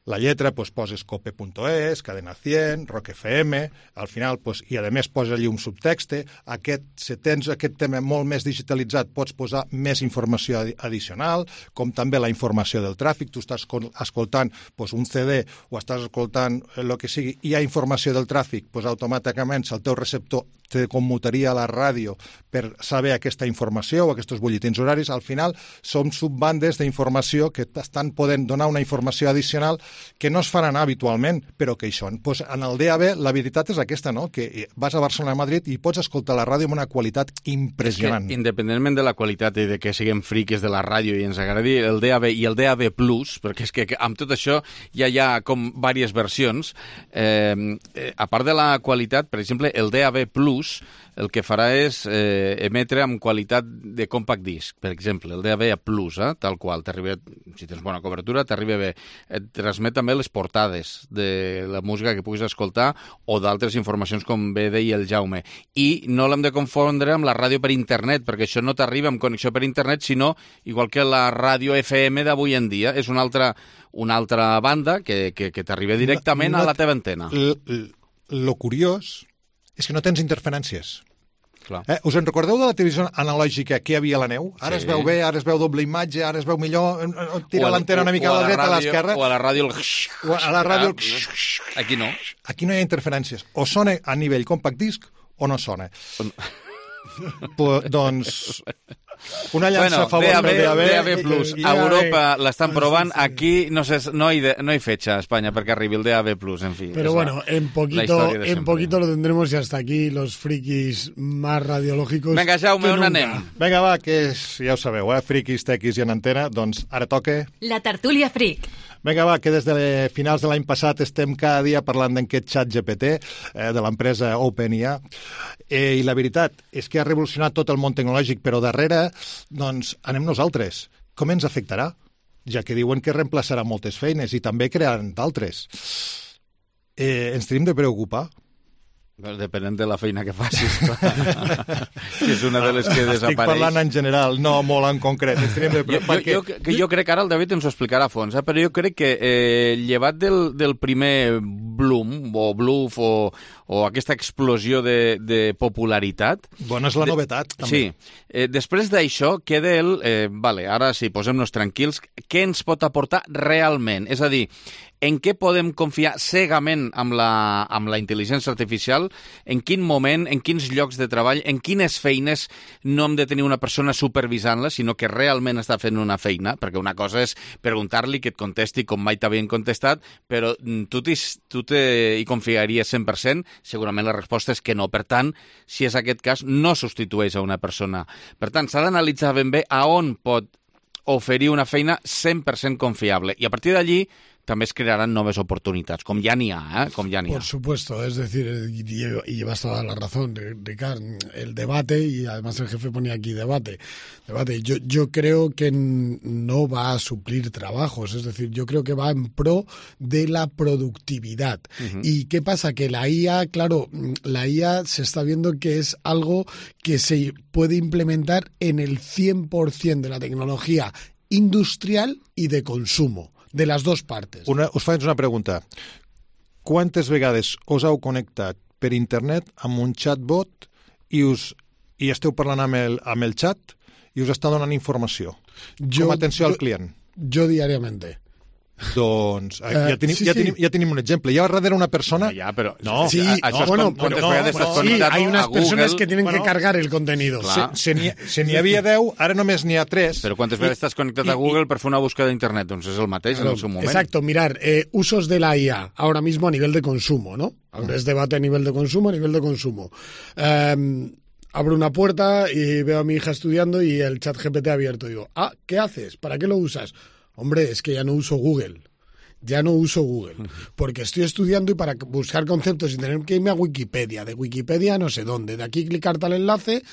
La lletra, pues, poses cope punt es, Cadena cent, Rock F M, al final, pues, i a més posa allí un subtexte. Aquest, si tens aquest tema molt més digitalitzat, pots posar més informació addicional, com també la informació del tràfic. Tu estàs escoltant pues, un C D o estàs escoltant el que sigui, i hi ha informació del tràfic, pues, automàticament el teu receptor te commutaria a la ràdio per saber aquesta informació o aquests butlletins horaris. Al final, són subbandes d'informació que estan podent donar una informació addicional que no es faran habitualment, però que hi són. Pues en el D A B la veritat és aquesta, no? Que vas a Barcelona, a Madrid i pots escoltar la ràdio amb una qualitat impressionant. Que, independentment de la qualitat i de que siguem friques de la ràdio i ens agradi el D A B i el D A B Plus, perquè és que amb tot això ja hi ha com diverses versions, eh, eh, a part de la qualitat, per exemple, el D A B Plus el que farà és eh, emetre amb qualitat de compact disc, per exemple, el D A B Plus, eh, tal qual, t'arriba, si tens bona cobertura, t'arriba bé. Et transmet també les portades de la música que puguis escoltar o d'altres informacions, com bé deia el Jaume. I no l'hem de confondre amb la ràdio per internet, perquè això no t'arriba amb connexió per internet, sinó, igual que la ràdio F M d'avui en dia, és una altra, una altra banda que, que, que t'arriba directament no, no, a la teva antena. Lo curiós és que no tens interferències. Clar. Eh, us en recordeu de la televisió analògica que hi havia a la neu? Ara sí. Es veu bé, ara es veu doble imatge, ara es veu millor, tira l'antena una mica a la dreta, a l'esquerra. O a la ràdio el... O a la ràdio el... Aquí no. Aquí no hi ha interferències. O sona a nivell compact disc o no sona. Pues, doncs... Una llança bueno, a favor del D A B. D A B Plus. A Europa l'estan provant. Aquí no, sé, no, hay de, no hay fecha a España perquè arribi el D A B Plus, en fi. Pero bueno, la, en poquito en poquito lo tendremos y hasta aquí los frikis más radiológicos. Venga, Jaume, on anem? Vinga, va, que és, ja ho sabeu, eh? Frikis, tequis i en antena. Doncs ara toca... La tertúlia fric. Vinga, va, que des de finals de l'any passat estem cada dia parlant d'aquest xat G P T eh, de l'empresa OpenAI, eh, i la veritat és que ha revolucionat tot el món tecnològic, però darrere, doncs, anem nosaltres. Com ens afectarà? Ja que diuen que reemplaçarà moltes feines i també crearan d'altres. Eh, ens tenim de preocupar? Depenent de la feina que facis, que és una de les que desapareix. Estic parlant en general, no molt en concret. De... Jo, perquè... jo, jo, jo crec que ara el David ens ho explicarà a fons, eh? Però jo crec que eh, llevat del, del primer bloom o bluff o, o aquesta explosió de, de popularitat... Bona és la novetat, de... també. Sí. Eh, després d'això queda el... Eh, vale, ara sí, posem-nos tranquils. Què ens pot aportar realment? És a dir, en què podem confiar cegament amb la, amb la intel·ligència artificial, en quin moment, en quins llocs de treball, en quines feines no hem de tenir una persona supervisant-la, sinó que realment està fent una feina, perquè una cosa és preguntar-li que et contesti com mai t'havien contestat, però tu, tu te, hi confiaries cent per cent? Segurament la resposta és que no. Per tant, si és aquest cas, no substitueix a una persona. Per tant, s'ha d'analitzar ben bé a on pot oferir una feina cent per cent confiable. I a partir d'allí també es crearán noves oportunidades, com ja n'hi ha, ¿eh? Com ja n'hi ha. Por supuesto, es decir, y, y llevas toda la razón, Ricard, el debate, y además el jefe ponía aquí debate, debate. Yo, yo creo que no va a suplir trabajos, es decir, yo creo que va en pro de la productividad. Uh-huh. ¿Y qué pasa? Que la I A, claro, la I A se está viendo que es algo que se puede implementar en el cien por ciento de la tecnología industrial y de consumo. De les dues partes. Una, us faig una pregunta. Quantes vegades us heu connectat per internet amb un chatbot i, us, i esteu parlant amb el, amb el chat i us està donant informació? Jo, com atenció jo, al client. Jo diàriament. Doncs uh, ja, tenim, sí, ja, tenim, ja tenim un exemple. Hi ha darrere una persona... Ja, però... No, sí, a, això no, bueno, com, pero, no, bueno, sí, hay unas personas que tienen bueno, que cargar el contenido. Clar. Se n'hi se n'hi havia deu, ara només n'hi ha tres. Però quantes vegades estàs connectat a Google per fer una búsqueda d'internet? Doncs és el mateix claro, en el seu moment. Exacto, mirar, eh, usos de la I A ahora mismo a nivel de consumo, ¿no? Ahora es debate a nivel de consumo, a nivel de consumo. Eh, abro una puerta y veo a mi hija estudiando y el chat G P T abierto. Digo, ah, ¿qué haces? ¿Para qué lo usas? Hombre, es que ya no uso Google. Ya no uso Google, porque estoy estudiando y para buscar conceptos y tener que irme a Wikipedia. De Wikipedia no sé dónde. De aquí clicar tal enlace,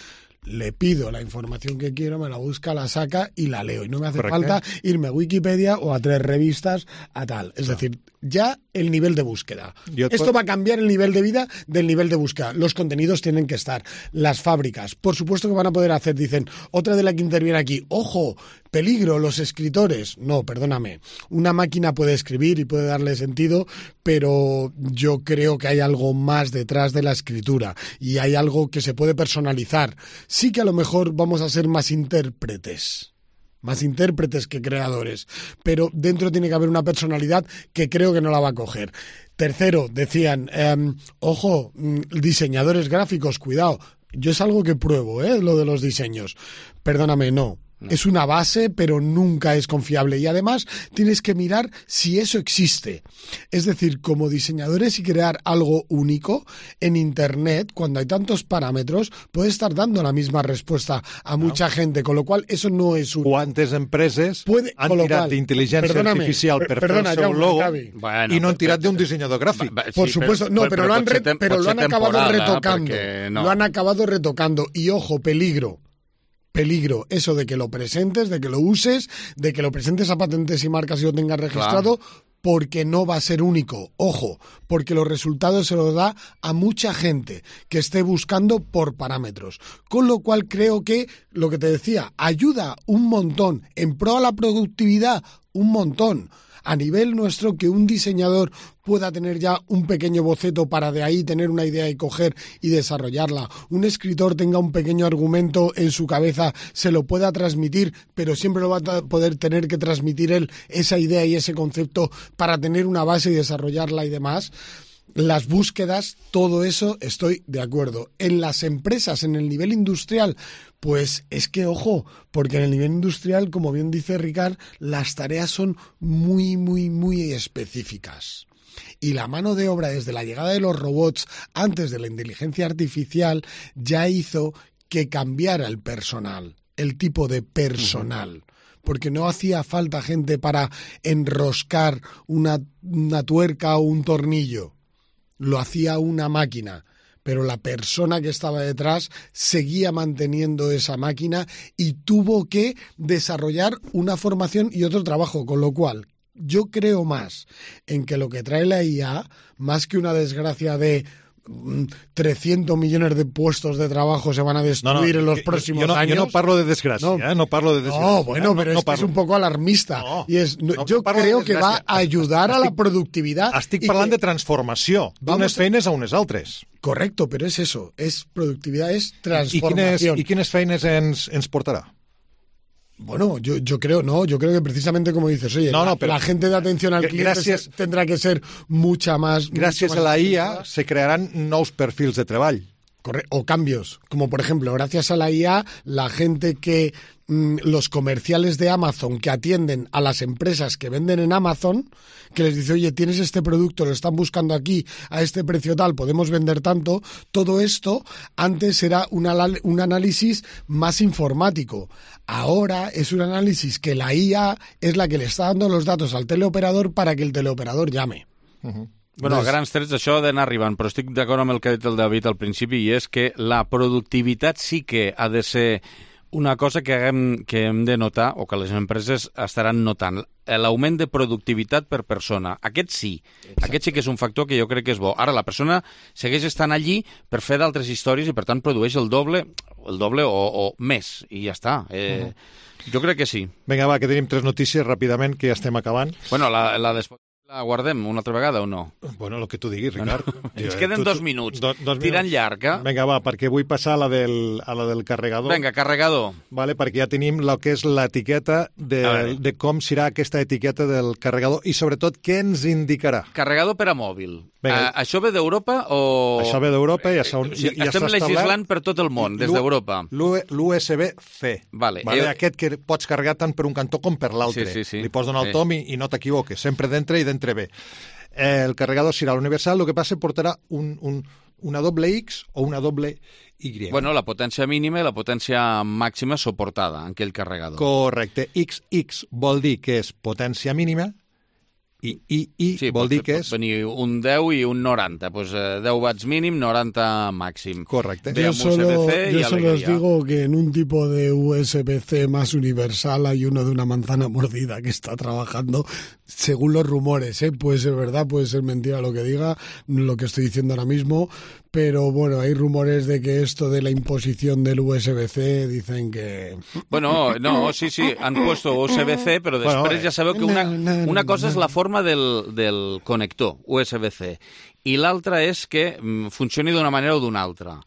le pido la información que quiero, me la busca, la saca y la leo. Y no me hace Correcto. falta irme a Wikipedia o a tres revistas a tal. Es claro. decir, ya el nivel de búsqueda. Esto va a cambiar el nivel de vida del nivel de búsqueda. Los contenidos tienen que estar. Las fábricas, por supuesto que van a poder hacer, dicen, otra de la que interviene aquí, ojo, peligro, los escritores. No, perdóname. Una máquina puede escribir y puede darle sentido, pero yo creo que hay algo más detrás de la escritura y hay algo que se puede personalizar. Sí que a lo mejor vamos a ser más intérpretes. Más intérpretes que creadores, pero dentro tiene que haber una personalidad que creo que no la va a coger. Tercero, decían, eh, ojo, diseñadores gráficos, cuidado, yo es algo que pruebo, ¿eh? Lo de los diseños. Perdóname, no. No. Es una base, pero nunca es confiable. Y además tienes que mirar si eso existe. Es decir, como diseñadores y crear algo único en Internet, cuando hay tantos parámetros, puede estar dando la misma respuesta a no. mucha gente, con lo cual eso no es un... Quantes empreses puede, han tirat d'intel·ligència artificial per perdona, fer el seu ja, logo bueno, y no han tirat de un diseñador gráfico. Va, va, Por sí, supuesto, pero, no, pero, pero, lo han, re, tem, pero lo han acabado retocando. No. Lo han acabado retocando. Y ojo, peligro. Peligro, eso de que lo presentes, de que lo uses, de que lo presentes a patentes y marcas y lo tengas registrado, claro. Porque no va a ser único. Ojo, porque los resultados se los da a mucha gente que esté buscando por parámetros. Con lo cual creo que, lo que te decía, ayuda un montón, en pro a la productividad, un montón. A nivel nuestro, que un diseñador pueda tener ya un pequeño boceto para de ahí tener una idea y coger y desarrollarla. Un escritor tenga un pequeño argumento en su cabeza, se lo pueda transmitir, pero siempre lo va a poder tener que transmitir él, esa idea y ese concepto, para tener una base y desarrollarla y demás. Las búsquedas, todo eso, estoy de acuerdo. En las empresas, en el nivel industrial, pues es que, ojo, porque en el nivel industrial, como bien dice Ricard, las tareas son muy, muy, muy específicas. Y la mano de obra desde la llegada de los robots, antes de la inteligencia artificial, ya hizo que cambiara el personal, el tipo de personal. Porque no hacía falta gente para enroscar una, una tuerca o un tornillo. Lo hacía una máquina, pero la persona que estaba detrás seguía manteniendo esa máquina y tuvo que desarrollar una formación y otro trabajo, con lo cual yo creo más en que lo que trae la I A, más que una desgracia de trescientos millones de puestos de trabajo se van a destruir no, no, en los próximos yo no, años. Yo no parlo de desgracia, no, ¿eh? no parlo de desgracia. No, bueno, ¿eh? pero no, es, no que es un poco alarmista. No, y es, no, yo no creo que va a ayudar estic, a la productivitat. Estic parlant que, de transformació, d'unes feines a unes altres. Correcto, pero es eso, es productividad, es transformación. I quines, i quines feines ens, ens portarà? Bueno, yo, yo creo, no, yo creo que precisamente como dices, oye, no, no, pero la gente de atención al cliente gracias, se, tendrá que ser mucha más... Gràcies mucho más a la I A se crearán nous perfils de treball. Corre o cambios, como por ejemplo, gracias a la I A, la gente que, mmm, los comerciales de Amazon que atienden a las empresas que venden en Amazon, que les dice, oye, tienes este producto, lo están buscando aquí a este precio tal, podemos vender tanto, todo esto antes era una, un análisis más informático. Ahora es un análisis que la I A es la que le está dando los datos al teleoperador para que el teleoperador llame. Uh-huh. Bueno, a grans trets això ha d'anar arribant, però estic d'acord amb el que ha dit el David al principi, i és que la productivitat sí que ha de ser una cosa que hem, que hem de notar, o que les empreses estaran notant. L'augment de productivitat per persona. Aquest sí. Exacte. Aquest sí que és un factor que jo crec que és bo. Ara, la persona segueix estant allí per fer d'altres històries i, per tant, produeix el doble, el doble o, o més, i ja està. Eh, uh-huh. Jo crec que sí. Vinga, va, que tenim tres notícies ràpidament, que ja estem acabant. Bueno, la, la després... La guardem una altra vegada o no? Bueno, el que tu diguis, Ricard. No. Ens queden tu, dos minuts. Do, dos Tirant minuts. Llarg, eh? Vinga, va, perquè vull passar a la del, a la del carregador. Vinga, carregador. Vale, perquè ja tenim el que és l'etiqueta de, de com serà aquesta etiqueta del carregador i, sobretot, què ens indicarà. Carregador per a mòbil. Uh, això ve d'Europa o...? Això ve d'Europa i ja, ja, ja estem legislant per tot el món, des d'Europa. L'U S B C. Vale. Vale, eh... Aquest que pots carregar tant per un cantó com per l'altre. Sí, sí, sí. Li pots donar el sí. tom i, i no t'equivoques. Sempre d'entre i d'entre bé. Eh, el carregador serà universal, el que passa portarà un, un, una doble X o una doble Y. Bueno, la potència mínima i la potència màxima suportada en aquell carregador. Correcte. X X vol dir que és potència mínima i I, I sí, vol pot, dir que és... pot venir un deu i un noranta, pues, eh, deu watts mínim, noranta màxim. Correcte. Yo solo, yo solo os digo que en un tipo de U S B C más universal hay uno de una manzana mordida que está trabajando, según los rumores, ¿eh? Puede ser verdad, puede ser mentira lo que diga, lo que estoy diciendo ahora mismo, pero bueno, hay rumores de que esto de la imposición del U S B C dicen que... Bueno, no, sí, sí, han puesto U S B C, però després bueno, ja sabeu que una, una cosa és la forma del, del connector U S B C i l'altra és que funcioni d'una manera o d'una altra.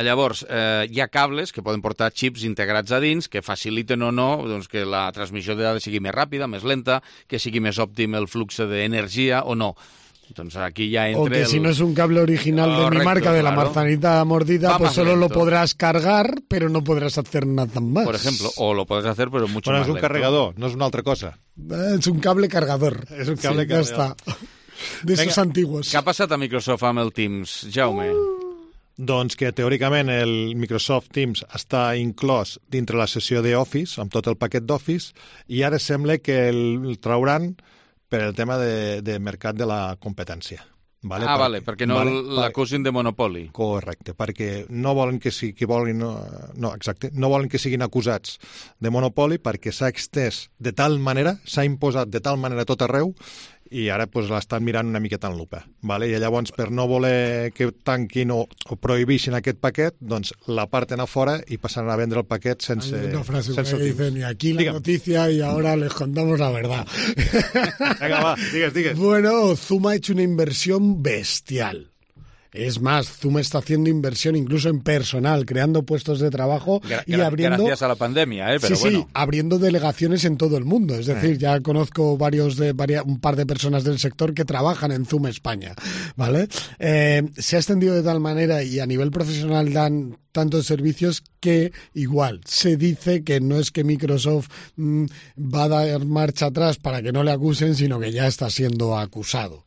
Llavors, eh, hi ha cables que poden portar xips integrats a dins que faciliten o no doncs, que la transmissió de dades sigui més ràpida, més lenta, que sigui més òptim el flux d'energia o no. Doncs aquí ya entre o que el... si no es un cable original Correcto, de mi marca, de la claro. manzanita mordida, Va pues solo lento. Lo podrás cargar, pero no podrás hacer nada más. Por ejemplo, o lo puedes hacer, pero mucho bueno, más es un lento. cargador, no es una otra cosa. Es un cable cargador. És un cable sí, cargador. Ja està. De esos antiguos. Què ha passat a Microsoft amb el Teams, Jaume? Uh. Doncs que teòricament el Microsoft Teams està inclòs dintre la sessió d'Office, amb tot el paquet d'Office, i ara sembla que el trauran per el tema de, de mercat de la competència. Vale? Ah, perquè, vale, perquè no vale, l'acusin de monopoli. Correcte, perquè no volen que, si, que volen, no, no, exacte, no volen que siguin acusats de monopoli perquè s'ha extès de tal manera, s'ha imposat de tal manera tot arreu i ara pues, l'estan mirant una miqueta en lupa. Vale? I llavors, per no voler que tanquin o, o prohibixin aquest paquet, doncs la parten a fora i passaran a vendre el paquet sense... Hay una frase sense que dicen, y aquí la Dígame. noticia y ahora les contamos la verdad. Venga, va, digues, digues. Bueno, Zoom ha hecho una inversión bestial. Es más, Zoom está haciendo inversión incluso en personal, creando puestos de trabajo gra y abriendo... Gracias a la pandemia, ¿eh? Pero sí, bueno. sí, abriendo delegaciones en todo el mundo. Es decir, eh. ya conozco varios de varias, un par de personas del sector que trabajan en Zoom España, ¿vale? Eh, se ha extendido de tal manera y a nivel profesional dan tantos servicios que igual se dice que no es que Microsoft mmm, va a dar marcha atrás para que no le acusen, sino que ya está siendo acusado.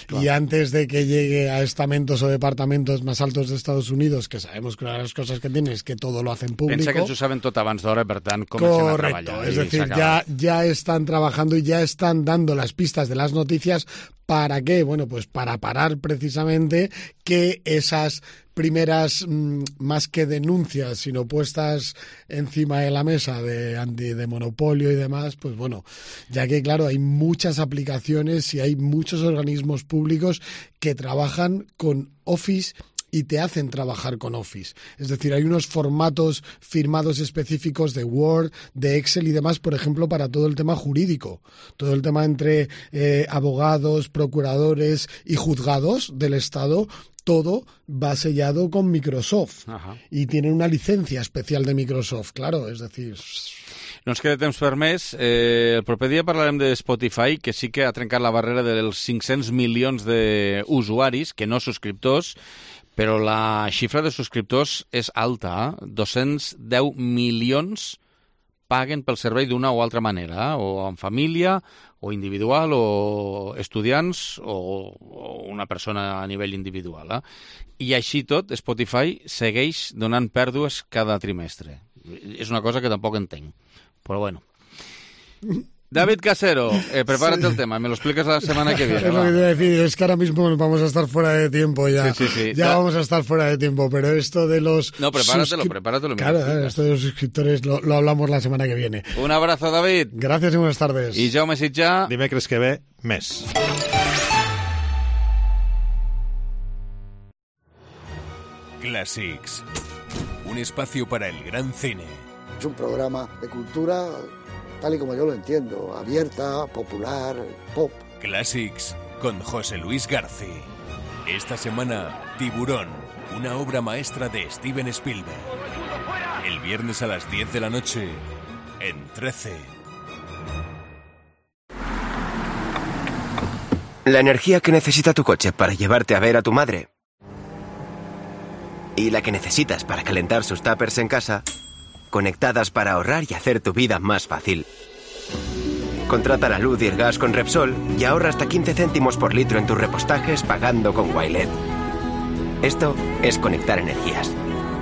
Claro. Y antes de que llegue a estamentos o departamentos más altos de Estados Unidos, que sabemos que una de las cosas que tiene es que todo lo hacen público... Pensa que ens ho saben tot abans d'hora, per tant, comencem a treballar. Correcto, es decir, ya, ya están trabajando y ya están dando las pistas de las noticias. ¿Para qué? Bueno, pues para parar precisamente que esas primeras, mmm, más que denuncias, sino puestas encima de la mesa de, de, de monopolio y demás, pues bueno, ya que claro, hay muchas aplicaciones y hay muchos organismos públicos que trabajan con Office y te hacen trabajar con Office. Es decir, hay unos formatos firmados específicos de Word, de Excel y demás, por ejemplo, para todo el tema jurídico. Todo el tema entre eh, abogados, procuradores y juzgados del Estado, todo va sellado con Microsoft. Ajá. Y tienen una licencia especial de Microsoft, claro, es decir... No ens queda temps per més. Eh, el proper dia parlarem de Spotify, que sí que ha trencat la barrera dels cinc-cents milions d'usuaris, que no subscriptors, però la xifra de subscriptors és alta. Eh? dos-cents deu milions paguen pel servei d'una o altra manera, eh? o en família, o individual, o estudiants, o, o una persona a nivell individual. Eh? I així tot, Spotify segueix donant pèrdues cada trimestre. És una cosa que tampoc entenc. Pero bueno. David Casero, eh, prepárate sí. el tema, me lo explicas la semana que viene. Es lo que te voy a decir, es que ahora mismo vamos a estar fuera de tiempo ya. Sí, sí, sí. Ya da... vamos a estar fuera de tiempo, pero esto de los... No, prepáratelo, suscri... prepáratelo. Claro, esto de los suscriptores lo, lo hablamos la semana que viene. Un abrazo, David. Gracias y buenas tardes. Y Jaume Sitjà. Dimecres que ve, més. Classics. Un espacio para el gran cine. Es un programa de cultura tal y como yo lo entiendo, abierta, popular, pop. Classics con José Luis García. Esta semana, Tiburón, una obra maestra de Steven Spielberg. El viernes a las diez de la noche, en trece. La energía que necesita tu coche para llevarte a ver a tu madre y la que necesitas para calentar sus tuppers en casa, conectadas para ahorrar y hacer tu vida más fácil. Contrata la luz y el gas con Repsol y ahorra hasta quince céntimos por litro en tus repostajes pagando con Wilet. Esto es conectar energías.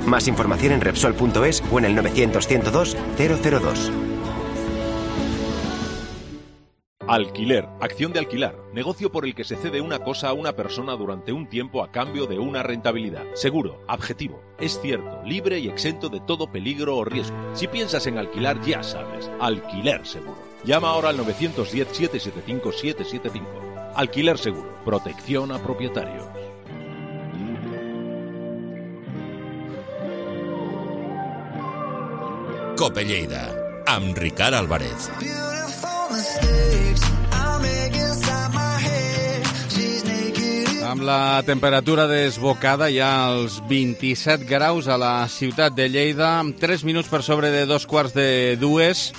Más información en Repsol punto es o en el novecientos, ciento dos, cero cero dos. Alquiler, acción de alquilar, negocio por el que se cede una cosa a una persona durante un tiempo a cambio de una rentabilidad. Seguro, objetivo, es cierto, libre y exento de todo peligro o riesgo. Si piensas en alquilar, ya sabes, Alquiler Seguro. Llama ahora al novecientos diez, setecientos setenta y cinco, setecientos setenta y cinco. Alquiler Seguro, protección a propietarios. Cope Lleida, amb Ricard Álvarez. Amb la temperatura desbocada ja als vint-i-set graus a la ciutat de Lleida, amb tres minuts per sobre de dos quarts de dues.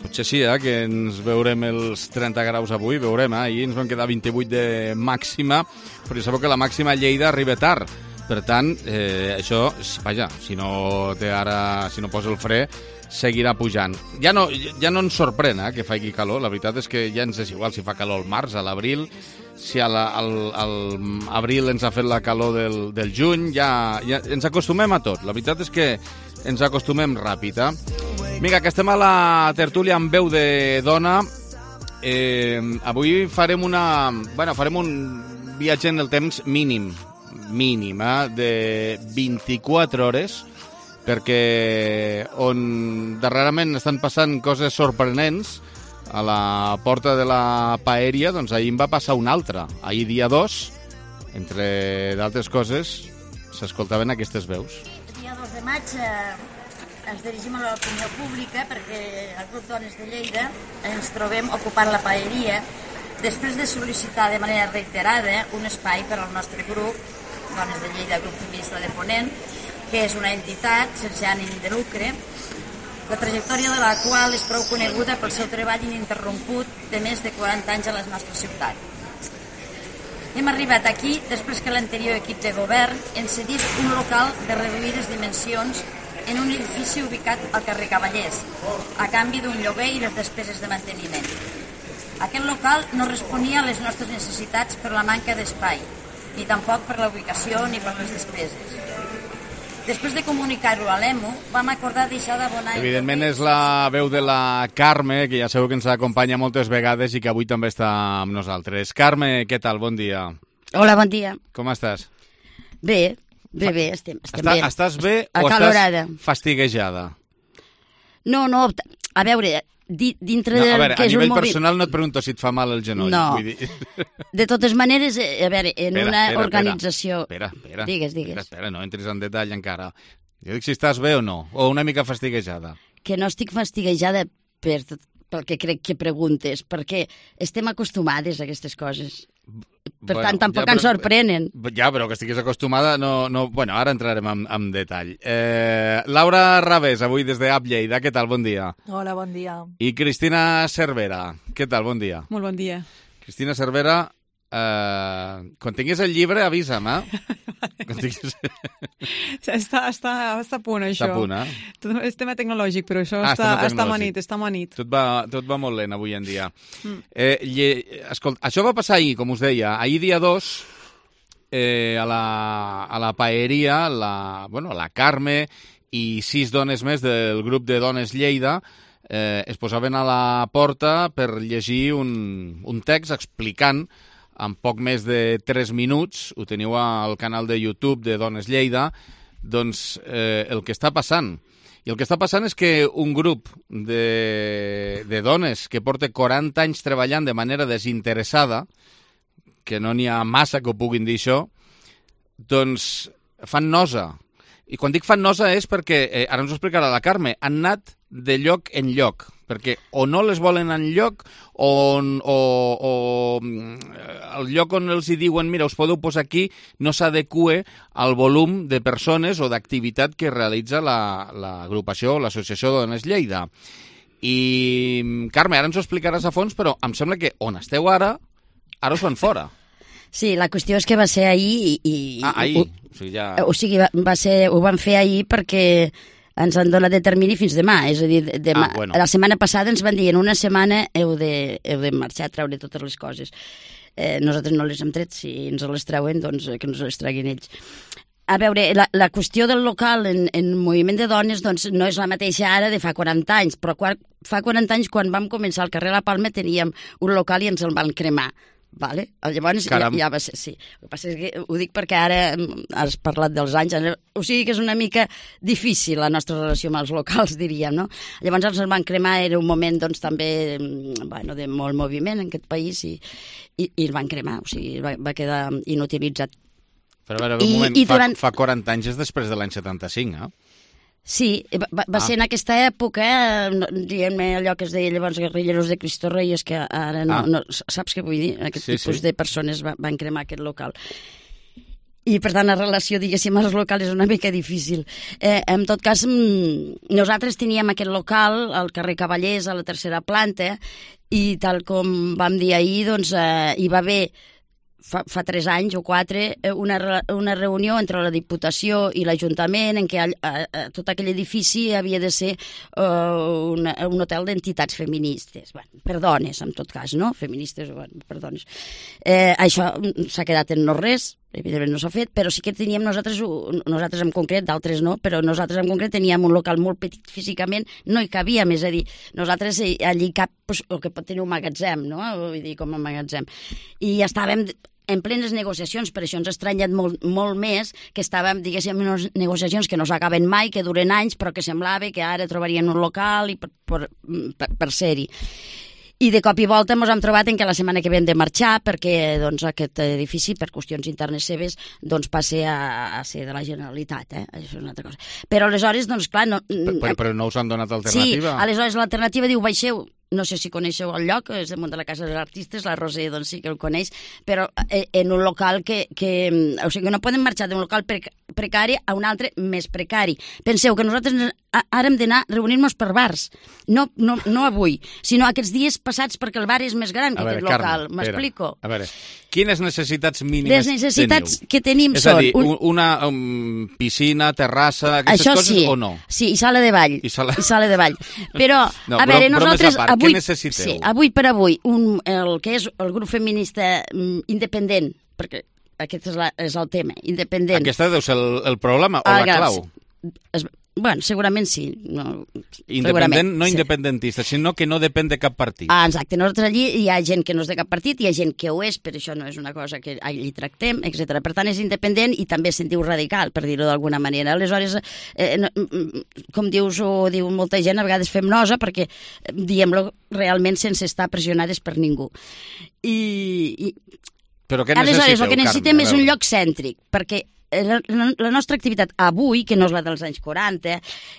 Potser sí, eh, que ens veurem els trenta graus avui, veurem, eh? Ahir ens van quedar vint-i-vuit de màxima, però ja sabeu que la màxima a Lleida arriba tard. Per tant, eh, això, vaja, si no té ara, si no posa el fre, seguirà pujant. Ja no, ja no ens sorprèn eh, que faci calor, la veritat és que ja ens és igual si fa calor al març, a l'abril, si a la, al, al abril ens ha fet la calor del, del juny, ja, ja ens acostumem a tot. La veritat és que ens acostumem ràpid. Eh? Vinga, que estem a la tertúlia amb veu de dona. Eh, avui farem una... Bueno, farem un viatge en el temps mínim, mínim, eh, de vint-i-quatre hores, perquè on darrerament estan passant coses sorprenents a la porta de la Paeria, doncs ahir em va passar una altra. Ahir dia dos, entre d'altres coses, s'escoltaven aquestes veus. El dia dos de maig eh, ens dirigim a l'opinió pública perquè el grup Dones de Lleida ens trobem ocupant la Paeria després de sol·licitar de manera reiterada un espai per al nostre grup, Dones de Lleida, Grup Feminista de Ponent, que és una entitat sense ànim de lucre, la trajectòria de la qual és prou coneguda pel seu treball ininterromput de més de quaranta anys a la nostra ciutat. Hem arribat aquí després que l'anterior equip de govern ens cedís un local de reduïdes dimensions en un edifici ubicat al carrer Cavallers, a canvi d'un lloguer i les despeses de manteniment. Aquest local no responia a les nostres necessitats per la manca d'espai, ni tampoc per la ubicació ni per les despeses. Després de comunicar-ho a l'E M U, vam acordar deixar d'abonar... Evidentment és la veu de la Carme, que ja sabeu que ens acompanya moltes vegades i que avui també està amb nosaltres. Carme, què tal? Bon dia. Hola, bon dia. Com estàs? Bé, bé, bé, estem, estem Està, bé. Estàs bé Acalorada. o estàs fastiguejada? No, no, a veure, di, dintre no, del a veure, que a és nivell un movi... personal no et pregunto si et fa mal el genoll. No. Vull dir... De totes maneres, a veure, en espera, una espera, organització... Espera, espera. Digues, digues. Espera, espera, no entris en detall encara. Jo dic si estàs bé o no, o una mica fastiguejada. Que no estic fastiguejada per, pel que crec que preguntes, perquè estem acostumades a aquestes coses. Per bueno, tant, tampoc ja, ens però, sorprenen. Ja, però que estiguis acostumada, no... no bueno, ara entrarem en, en detall. Eh, Laura Rabés, avui des de App Lleida, què tal? Bon dia. Hola, bon dia. I Cristina Cervera, què tal? Bon dia. Molt bon dia. Cristina Cervera, eh, quan tinguis el llibre, avisa'm, eh? Quan tinguis... està, està, està a punt, això. Està a punt, eh? Tot és tema tecnològic, però això ah, està, està amanit, està amanit. Tot va, tot va molt lent avui en dia. Mm. Eh, lle... Escolta, això va passar ahir, com us deia. Ahir dia dos, eh, a, la, a la Paeria, la, bueno, la Carme i sis dones més del grup de Dones Lleida eh, es posaven a la porta per llegir un, un text explicant en poc més de tres minuts, ho teniu al canal de YouTube de Dones Lleida, doncs eh, el que està passant. I el que està passant és que un grup de, de dones que porta quaranta anys treballant de manera desinteressada, que no n'hi ha massa que ho puguin dir això, doncs fan nosa. I quan dic fan nosa és perquè, eh, ara ens ho explicarà la Carme, han anat de lloc en lloc, perquè o no les volen en lloc o, o, o el lloc on els hi diuen mira, us podeu posar aquí, no s'adequa al volum de persones o d'activitat que realitza l'agrupació la, o l'associació de Dones Lleida. I, Carme, ara ens ho explicaràs a fons, però em sembla que on esteu ara, ara us fan fora. Sí, la qüestió és que va ser ahir i... i ah, ahir. Ho, o sigui, ja... o sigui va, va ser, ho van fer ahir perquè ens han donat de termini fins demà, és a dir, demà, ah, bueno. La setmana passada ens van dir en una setmana heu de, heu de marxar a treure totes les coses. Eh, nosaltres no les hem tret, si ens les treuen, doncs que ens les treguin ells. A veure, la, la qüestió del local en, en moviment de dones doncs, no és la mateixa ara de fa quaranta anys, però quan, fa quaranta anys, quan vam començar al carrer La Palma, teníem un local i ens el van cremar. Vale? Llavors ja, ja va ser, sí. El que passa és que ho dic perquè ara has parlat dels anys, o sigui que és una mica difícil la nostra relació amb els locals, diríem, no? Llavors els van cremar, era un moment doncs també bueno, de molt moviment en aquest país i, i, i el van cremar, o sigui, va, va quedar inutilitzat. Però a veure, un I, moment, i durant... fa, fa quaranta anys és després de l'any setanta-cinc, eh? Sí, va, va ah. ser en aquesta època, diguem-ne allò que es deia llavors guerrilleros de Cristo Rey, és que ara no, ah. no saps què vull dir? Aquest sí, tipus sí. de persones va, van cremar aquest local. i per tant la relació, diguéssim, als locals és una mica difícil. Eh, en tot cas, nosaltres teníem aquest local al carrer Cavallers, a la tercera planta, i tal com vam dir ahir, doncs eh, hi va haver Fa, fa tres anys o quatre, una, una reunió entre la Diputació i l'Ajuntament en què a, a, a, tot aquell edifici havia de ser uh, una, un hotel d'entitats feministes, bueno, per dones, en tot cas, no? Feministes, bueno, per dones. Eh, això s'ha quedat en no res, evidentment no s'ha fet, però sí que teníem nosaltres, nosaltres en concret, d'altres no, però nosaltres en concret teníem un local molt petit físicament, no hi cabíem, és a dir, nosaltres allí cap, pues, el que pot tenir un magatzem, no? Vull dir, com un magatzem. I estàvem en plenes negociacions, per això ens ha estranyat molt, molt més que estàvem, diguéssim, en unes negociacions que no s'acaben mai, que duren anys, però que semblava que ara trobarien un local i per, per, per, per ser-hi. I de cop i volta ens hem trobat en que la setmana que ve hem de marxar perquè doncs, aquest edifici, per qüestions internes seves, doncs, passi a, a ser de la Generalitat. Eh? Això és una altra cosa. Però aleshores, doncs clar... No, però, però no us han donat alternativa? Sí, aleshores l'alternativa diu, baixeu, no sé si coneixeu el lloc, és damunt de la Casa dels Artistes, la Roser doncs sí que el coneix, però en un local que... que o sigui, no podem marxar d'un local precari a un altre més precari. Penseu que nosaltres ara hem d'anar a reunir-nos per bars, no, no, no avui, sinó aquests dies passats perquè el bar és més gran que veure, aquest local. M'explico? A veure, quines necessitats mínimes Les necessitats teniu? que tenim és són... És a dir, un... una um, piscina, terrassa, aquestes Això coses sí, o no? Sí, i sala de ball. I sala, I sala de ball. Però, no, a veure, nosaltres... A part, avui, què necessiteu? Sí, avui per avui, un, el que és el grup feminista um, independent, perquè aquest és, la, és el tema, independent. Aquesta deu ser el, el problema o ah, la clau? Es, bueno, segurament sí. No, Independent, segurament, no sí. independentista, sinó que no depèn de cap partit. Ah, exacte. Nosaltres allí hi ha gent que no és de cap partit, hi ha gent que ho és, però això no és una cosa que allí tractem, etcètera. Per tant, és independent i també es sentiu radical, per dir-ho d'alguna manera. Aleshores, eh, no, com dius o diu molta gent, a vegades fem nosa perquè diem-lo realment sense estar pressionades per ningú. I... i... Però què Aleshores, necessiteu, el que necessitem Carme? és un lloc cèntric, perquè la, la, la nostra activitat avui, que no és la dels anys quaranta,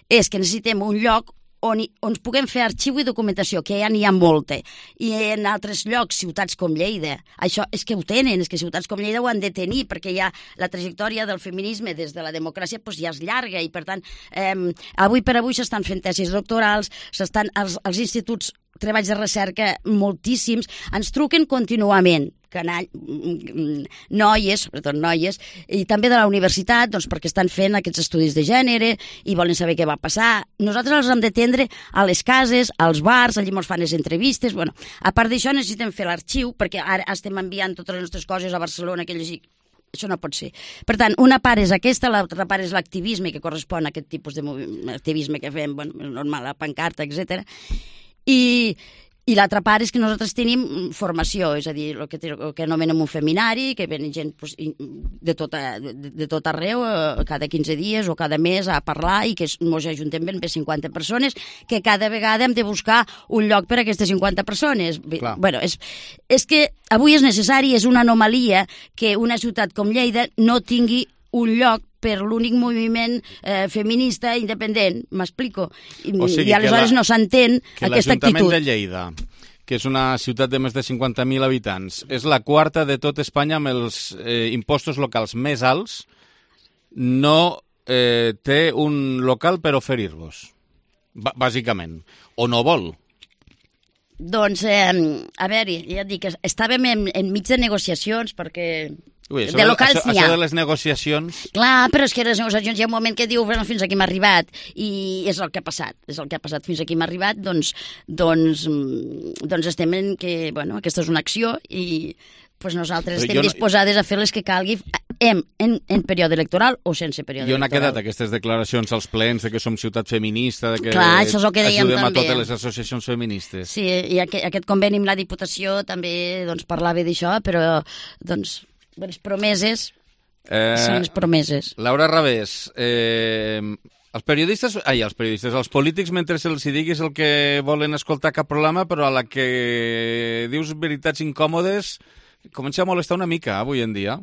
és que necessitem un lloc on, on ens puguem fer arxiu i documentació, que ja n'hi ha molta. I en altres llocs, ciutats com Lleida, això és que ho tenen, és que ciutats com Lleida ho han de tenir, perquè ja la trajectòria del feminisme des de la democràcia doncs, ja és llarga i, per tant, eh, avui per avui s'estan fent tesis doctorals, s'estan als, als instituts treballs de recerca moltíssims, ens truquen contínuament, canall, noies, sobretot noies, i també de la universitat, doncs perquè estan fent aquests estudis de gènere i volen saber què va passar. Nosaltres els hem d'atendre a les cases, als bars, allí ens fan les entrevistes, bueno, a part d'això necessitem fer l'arxiu, perquè ara estem enviant totes les nostres coses a Barcelona, que llegir. Això no pot ser. Per tant, una part és aquesta, l'altra part és l'activisme, que correspon a aquest tipus d'activisme que fem, bueno, normal, la pancarta, etcètera. I, i l'altra part és que nosaltres tenim formació, és a dir, el que, el que anomenem un feminari, que venen gent pues, de, tot, de, de tot arreu, cada quinze dies o cada mes a parlar, i que ens ajuntem ben bé cinquanta persones, que cada vegada hem de buscar un lloc per a aquestes cinquanta persones. Clar. Bueno, és, és que avui és necessari, és una anomalia que una ciutat com Lleida no tingui un lloc per l'únic moviment eh, feminista independent, m'explico? I, o sigui i aleshores la, no s'entén aquesta actitud. Que l'Ajuntament de Lleida, que és una ciutat de més de cinquanta mil habitants, és la quarta de tot Espanya amb els eh, impostos locals més alts, no eh, té un local per oferir-vos, bàsicament, o no vol. Doncs, eh, a veure, ja et dic, estàvem en, en mig de negociacions perquè... Ui, això de locals això, n'hi ha. Això de les negociacions... Clar, però és que les negociacions hi ha un moment que diu bueno, fins aquí m'ha arribat, i és el que ha passat, és el que ha passat fins aquí m'ha arribat, doncs, doncs, doncs estem en que, bueno, aquesta és una acció i pues nosaltres però estem no... disposades a fer les que calgui en, en, en període electoral o sense període electoral. I on ha quedat aquestes declaracions als plens de que som ciutat feminista, de que Clar, això és el que dèiem ajudem també. a totes les associacions feministes? Sí, i aquest, aquest conveni amb la Diputació també doncs, parlava d'això, però doncs les promeses eh, són les promeses. Laura Rabés, eh, els periodistes, ai, els periodistes, els polítics, mentre se'ls diguis el que volen escoltar cap programa, però a la que dius veritats incòmodes, comença a molestar una mica avui en dia.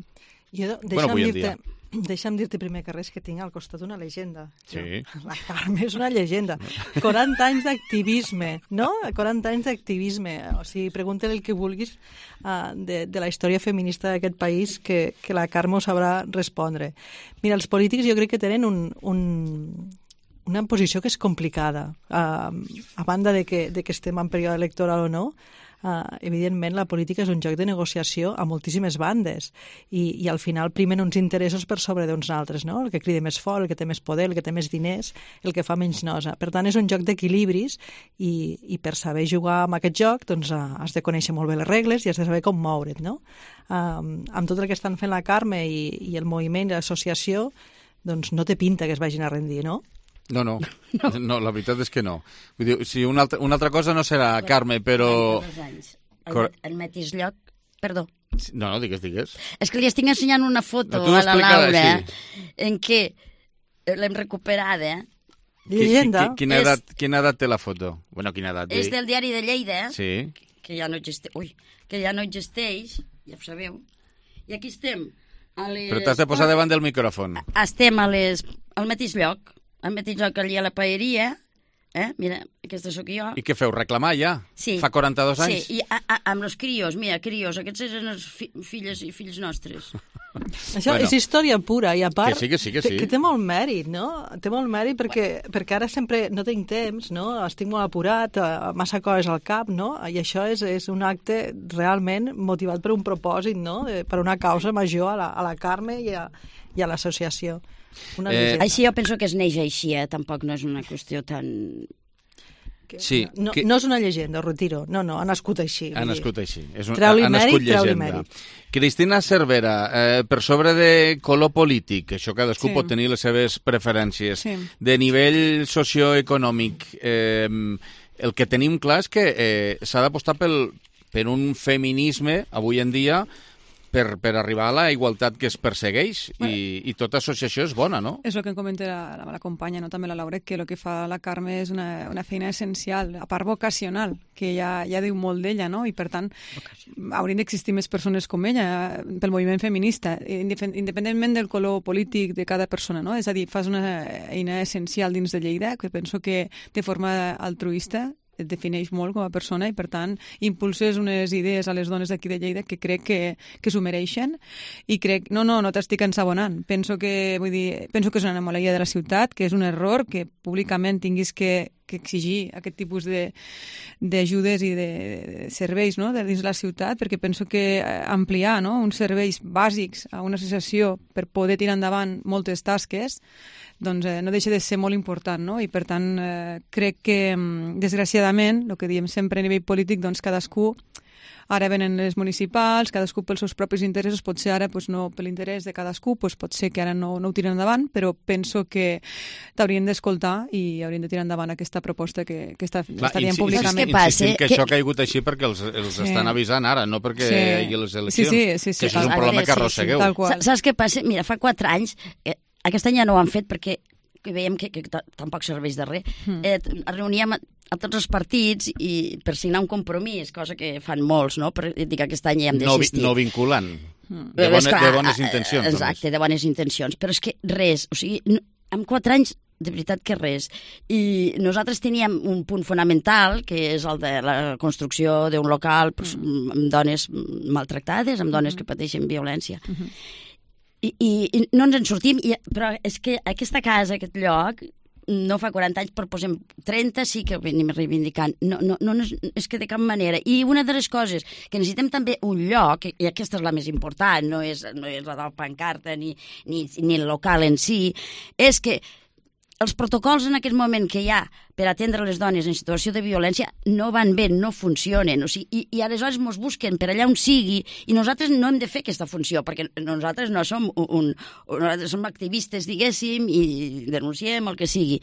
Jo, bueno, avui en dia. deixa'm dir-te primer que res que tinc al costat una llegenda. Sí. La Carme és una llegenda. quaranta anys d'activisme, no? quaranta anys d'activisme. O sigui, pregunta-li el que vulguis uh, de, de la història feminista d'aquest país que, que la Carme ho sabrà respondre. Mira, els polítics jo crec que tenen un, un, una posició que és complicada. Uh, a banda de que, de que estem en període electoral o no, Uh, evidentment la política és un joc de negociació a moltíssimes bandes i, i al final primen uns interessos per sobre d'uns altres, no? El que crida més fort, el que té més poder, el que té més diners, el que fa menys nosa. Per tant, és un joc d'equilibris i, i per saber jugar amb aquest joc doncs, uh, has de conèixer molt bé les regles i has de saber com moure't, no? Uh, amb tot el que estan fent la Carme i, i el moviment i l'associació, doncs no té pinta que es vagin a rendir, no? No, no, no, no, la veritat és que no. Vull dir, si una altra, una altra cosa no serà, Carme, però... El, el mateix lloc... Perdó. No, no, digues, digues. És que li estic ensenyant una foto no, a la Laura sí. en què l'hem recuperada. Llegenda. Qui, qui, quina, edat, quina edat té la foto? Bueno, quina edat? És del diari de Lleida, sí. que ja no existeix, ui, que ja no existeix, ja ho sabeu. I aquí estem. A les... Però t'has de posar davant del micròfon. Estem a les... al mateix lloc. Al mateix lloc allà a la paeria, eh? Mira, aquesta sóc jo. I què feu, reclamar ja? Sí. Fa quaranta-dos anys? Sí, i a, a, amb els crios, mira, crios, aquests eren els fi, filles i fills nostres. Això bueno, és història pura, i a part... Que sí, que sí, que sí. Que, que té molt mèrit, no? Té molt mèrit perquè, perquè ara sempre no tinc temps, no? Estic molt apurat, massa coses al cap, no? I això és, és un acte realment motivat per un propòsit, no? De, per una causa major a la, a la Carme i a, i a l'associació. Eh, així jo penso que es neix així, eh? Tampoc no és una qüestió tan... Que, sí, no, que... no és una llegenda, ho retiro. No, no, ha nascut així. Ha nascut així. És un... Treu-li ha mèrit, treu-li llegenda. mèrit. Cristina Cervera, eh, per sobre de color polític, això cadascú Sí. pot tenir les seves preferències, Sí. de nivell socioeconòmic, eh, el que tenim clar és que eh, s'ha d'apostar pel, per un feminisme, avui en dia, Per, per arribar a la igualtat que es persegueix bueno, i, i tota associació és bona, no? És el que em comenta la, la, la companya, no? També la Laura, que el que fa la Carme és una, una feina essencial, a part vocacional, que ja, ja diu molt d'ella, no? I per tant, haurien d'existir més persones com ella pel moviment feminista, independentment del color polític de cada persona, no? És a dir, fas una eina essencial dins de Lleida, que penso que de forma altruista et defineix molt com a persona i, per tant, impulses unes idees a les dones d'aquí de Lleida que crec que, que s'ho mereixen i crec... No, no, no t'estic ensabonant. Penso que, vull dir, penso que és una anomalia de la ciutat, que és un error que públicament tinguis que, que exigir aquest tipus de, d'ajudes i de, de serveis, no?, de dins la ciutat, perquè penso que ampliar, no?, uns serveis bàsics a una associació per poder tirar endavant moltes tasques doncs eh, no deixa de ser molt important, no? I per tant eh, crec que, desgraciadament, el que diem sempre a nivell polític, doncs cadascú, ara venen les municipals, cadascú pels seus propis interessos, potser ara pues, no per l'interès de cadascú, pues, pot ser que ara no, no ho tiren endavant, però penso que t'haurien d'escoltar i haurien de tirar endavant aquesta proposta que, que està, Clar, està dient públicament. Insistim que, que això ha caigut així perquè els, els sí. estan avisant ara, no perquè sí. hi hagi les eleccions. Sí, sí, sí, sí, que això sí. és un problema sí, que arrossegueu. Sí, sí, Saps què passa? Mira, fa quatre anys... Eh, aquest any ja no ho han fet perquè que veiem que, que tampoc serveix de res. Mm. Eh, reuníem a, a tots els partits i per signar un compromís, cosa que fan molts, no? Per dir que aquest any ja hem d'assistir. No, no vinculant. Mm. De, bones, clar, de bones intencions. Exacte, de bones intencions. Però és que res, o sigui, no, en quatre anys de veritat que res. I nosaltres teníem un punt fonamental, que és el de la construcció d'un local pues, mm. amb dones maltractades, amb dones mm. que pateixen violència. Mm-hmm. I, i, i no ens en sortim, i, però és que aquesta casa, aquest lloc, no fa quaranta anys, però posem trenta, sí que venim reivindicant. No, no, no, és que de cap manera. I una de les coses que necessitem també un lloc, i aquesta és la més important, no és, no és la de la pancarta ni, ni, ni el local en si, és que els protocols en aquest moment que hi ha per atendre les dones en situació de violència no van bé, no funcionen. O sigui, i, i aleshores ens busquen per allà on sigui i nosaltres no hem de fer aquesta funció perquè nosaltres no som un, un, nosaltres som activistes, diguéssim, i denunciem el que sigui.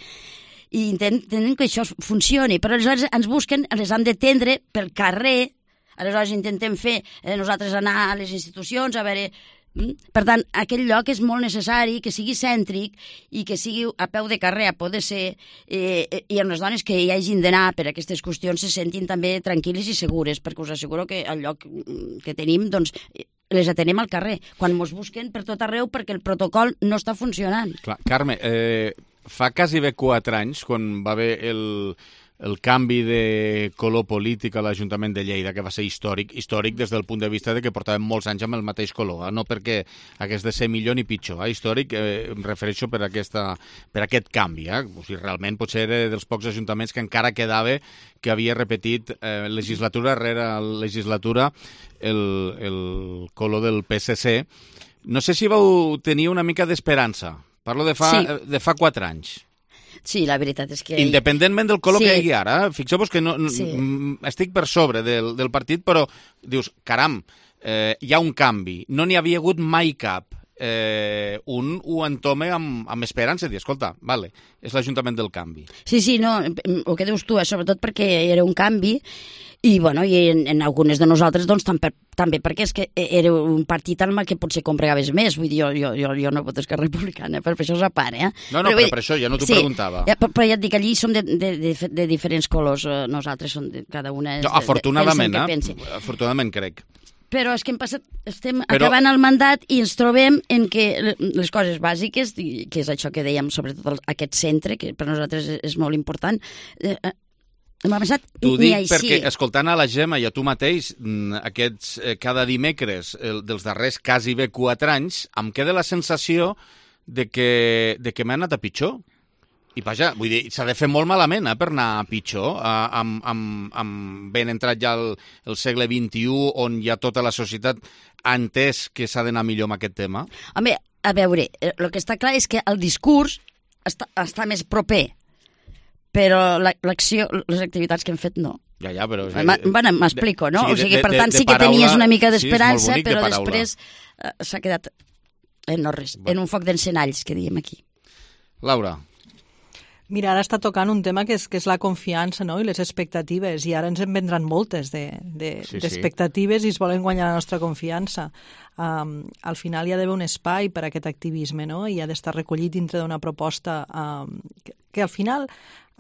I intentem que això funcioni, però aleshores ens busquen, les han d'atendre pel carrer, aleshores intentem fer eh, nosaltres anar a les institucions a veure... Per tant, aquell lloc és molt necessari que sigui cèntric i que sigui a peu de carrer, a poder ser, eh, i amb les dones que hi hagin d'anar per aquestes qüestions se sentin també tranquil·les i segures, perquè us asseguro que el lloc que tenim doncs, les atenem al carrer, quan mos busquen per tot arreu perquè el protocol no està funcionant. Clar, Carme, eh, fa quasi bé quatre anys, quan va haver el, el canvi de color polític a l'Ajuntament de Lleida, que va ser històric, històric des del punt de vista de que portàvem molts anys amb el mateix color, eh? No perquè hagués de ser millor ni pitjor, eh? Històric, eh, em refereixo per, aquesta, per aquest canvi, eh? O sigui, realment potser era dels pocs ajuntaments que encara quedava que havia repetit eh, legislatura rere legislatura el, el color del P S C. No sé si vau tenir una mica d'esperança. Parlo de fa, sí. de fa quatre anys. Sí, la veritat és que... Independentment del color sí. que hi ha ara, fixeu-vos que no, sí. estic per sobre del, del partit, però dius, caram, eh, hi ha un canvi. No n'hi havia hagut mai cap. Eh, un ho entome amb, amb esperança, dir, escolta, vale, és l'Ajuntament del canvi. Sí, sí, no, el que dius tu, eh, sobretot perquè era un canvi, i, bueno, i en, en algunes de nosaltres doncs, també, també perquè és que era un partit al que potser compregaves més, vull dir, jo, jo, jo, jo no voto Esquerra Republicana, per això és a part, eh? No, no, però, però per això, ja no t'ho sí, preguntava. Ja, però, però ja et dic, allí som de, de, de, de diferents colors, nosaltres som de, cada una... És, no, afortunadament, de, de, de eh? Afortunadament, crec. Però és que hem passat, estem Però... acabant el mandat i ens trobem en que les coses bàsiques, que és això que dèiem, sobretot aquest centre, que per nosaltres és molt important, eh, hem avançat T'ho ni dic així. perquè, escoltant a la Gemma i a tu mateix, aquests eh, cada dimecres el, dels darrers quasi bé quatre anys, em queda la sensació de que, de que m'ha anat a pitjor. I vaja, vull dir, s'ha de fer molt malament eh, per anar a pitjor, eh, amb, amb, amb ben entrat ja el, el segle vint-i-u, on ja tota la societat ha entès que s'ha d'anar millor amb aquest tema. Home, a veure, el que està clar és que el discurs està, està més proper, però l'acció, les activitats que hem fet no. Ja, ja, però... Bueno, m'explico, no? Sí, o sigui, de, per de, tant, de, sí que paraula, tenies una mica d'esperança, sí, però de després uh, s'ha quedat en no res, en un foc d'encenalls, que diem aquí. Laura. Mira, ara està tocant un tema que és, que és la confiança, no?, i les expectatives, i ara ens en vendran moltes d'expectatives de, de, sí, sí. i es volen guanyar la nostra confiança. Um, al final hi ha d'haver un espai per a aquest activisme, no?, i ha d'estar recollit dintre d'una proposta um, que, que al final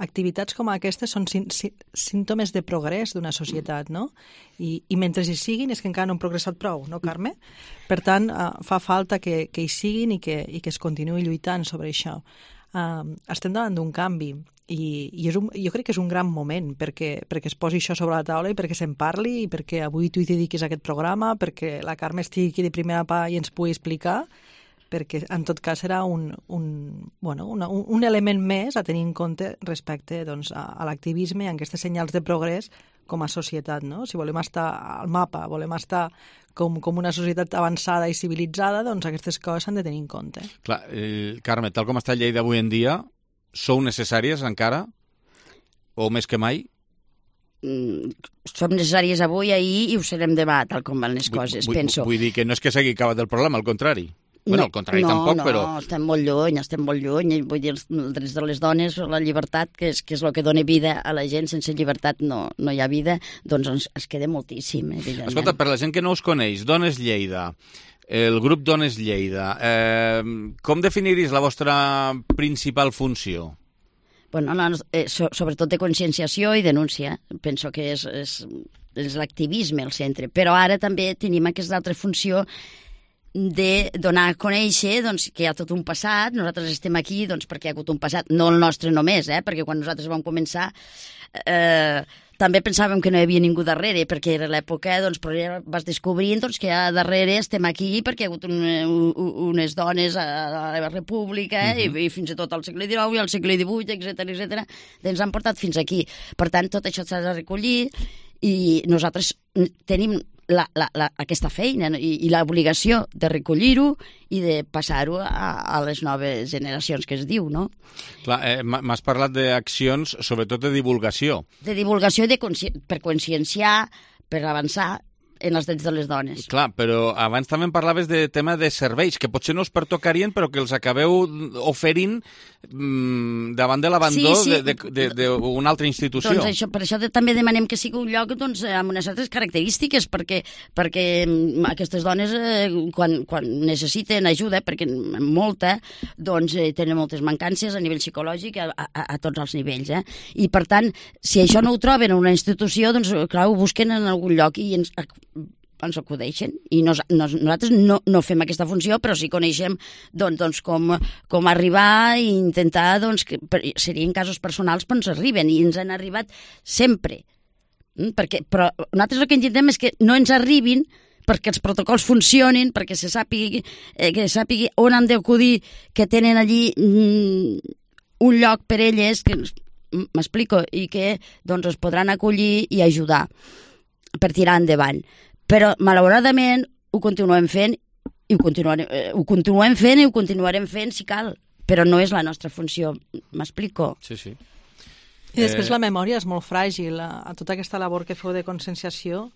activitats com aquestes són sí, sí, símptomes de progrés d'una societat, no? I, i mentre hi siguin és que encara no han progressat prou, no, Carme? Per tant, uh, fa falta que, que hi siguin i que, i que es continuï lluitant sobre això. Uh, estem davant d'un canvi i, i és un, jo crec que és un gran moment perquè, perquè es posi això sobre la taula i perquè se'n parli i perquè avui tu hi dediquis a aquest programa, perquè la Carme estigui aquí de primera part i ens pugui explicar, perquè en tot cas serà un, un, bueno, una, un, un element més a tenir en compte respecte doncs, a, a l'activisme i a aquests senyals de progrés com a societat, no? Si volem estar al mapa, volem estar com, com una societat avançada i civilitzada, doncs aquestes coses s'han de tenir en compte. Clar, eh, Carme, tal com està Lleida avui en dia, sou necessàries encara? O més que mai? Mm, som necessàries avui, ahir i ho serem demà, tal com van les coses, vull, penso. Vull dir que no és que s'hagi acabat el problema, al contrari. Bueno, no, al contrari no, tampoc, no, però... No, estem molt lluny, estem molt lluny. Vull dir, els drets de les dones, la llibertat, que és, que és el que dona vida a la gent, sense llibertat no, no hi ha vida, doncs ens, es queda moltíssim, evidentment. Escolta, per la gent que no us coneix, Dones Lleida, el grup Dones Lleida, eh, com definiries la vostra principal funció? Bueno, no, eh, so, sobretot de conscienciació i denúncia. Penso que és, és, és l'activisme al centre. Però ara també tenim aquesta altra funció de donar a conèixer doncs, que hi ha tot un passat. Nosaltres estem aquí doncs, perquè hi ha hagut un passat, no el nostre només, eh? Perquè quan nosaltres vam començar eh, també pensàvem que no hi havia ningú darrere, perquè era l'època, doncs, però vas descobrint doncs, que ja darrere estem aquí perquè hi ha hagut un, un, unes dones a la República eh? uh-huh. i, i fins i tot al segle dinou i al segle divuit, etcètera, etcètera, ens han portat fins aquí. Per tant, tot això s'ha de recollir i nosaltres tenim La, la, la, aquesta feina i, i l'obligació de recollir-ho i de passar-ho a, a les noves generacions, que es diu, no? Clar, eh, m'has parlat d'accions, sobretot de divulgació. De divulgació de consci... per conscienciar, per avançar en els drets de les dones. Clar, però abans també em parlaves de tema de serveis, que potser no us pertocarien, però que els acabeu oferint mmm, davant de l'abandó sí, sí. d'una altra institució. Doncs això, per això de, també demanem que sigui un lloc doncs, amb unes altres característiques, perquè, perquè aquestes dones, eh, quan, quan necessiten ajuda, perquè molta, doncs eh, tenen moltes mancances a nivell psicològic, a, a, a tots els nivells. Eh? I, per tant, si això no ho troben en una institució, doncs, clar, ho busquen en algun lloc i ens ens acudeixen. I nos, nos, nosaltres no, no fem aquesta funció, però sí coneixem doncs, doncs, com, com arribar i intentar, doncs, que per, serien casos personals, però ens arriben, i ens han arribat sempre. Mm? Perquè, però nosaltres el que intentem és que no ens arribin perquè els protocols funcionin, perquè se sàpigui, eh, que sàpigui on han d'acudir, que tenen allí mm, un lloc per elles, que m'explico, i que doncs, es podran acollir i ajudar per tirar endavant. Però, malauradament, ho continuem fent i ho continuarem, eh, ho continuem fent i ho continuarem fent si cal, però no és la nostra funció. M'explico? Sí, sí. I després eh... la memòria és molt fràgil. A, a tota aquesta labor que feu de conscienciació,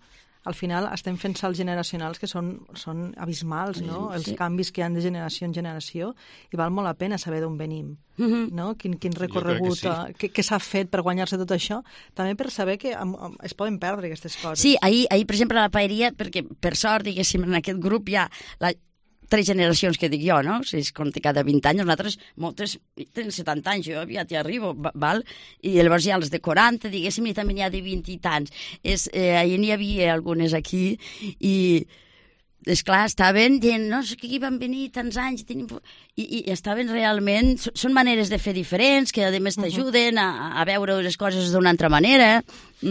al final estem fent salts generacionals que són, són abismals, no? Sí. Els canvis que hi ha de generació en generació, i val molt la pena saber d'on venim, mm-hmm. no? Quin, quin recorregut, que, sí. que, que s'ha fet per guanyar-se tot això, també per saber que am, am, es poden perdre aquestes coses. Sí, ahir, ahir per exemple, a la paeria, perquè per sort, diguéssim, en aquest grup hi ha la, tres generacions que dic jo, no? Si es compta cada vint anys, nosaltres, moltes, tenen setanta anys, jo ja t'hi arribo, val? I llavors hi ha les de quaranta, diguéssim, i també n'hi ha de vint i tants. És, eh, ahir n'hi havia algunes aquí, i esclar, estaven dient, no, és que aquí van venir tants anys, tenim... I, i estaven realment... Són maneres de fer diferents, que a més t'ajuden a, a veure les coses d'una altra manera,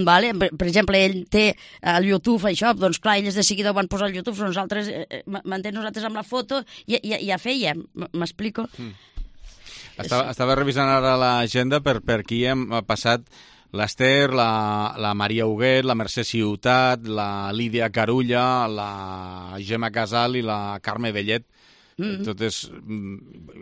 vale? Per, per exemple, ell té el YouTube, això, doncs clar, ells de seguida ho van posar al YouTube, nosaltres, eh, mantén nosaltres amb la foto, i, i ja fèiem, m'explico? Mm. Estava, estava revisant ara l'agenda per, per qui hem passat l'Ester, la, la Maria Huguet, la Mercè Ciutat, la Lídia Carulla, la Gemma Casal i la Carme Bellet. Mm-hmm. Totes,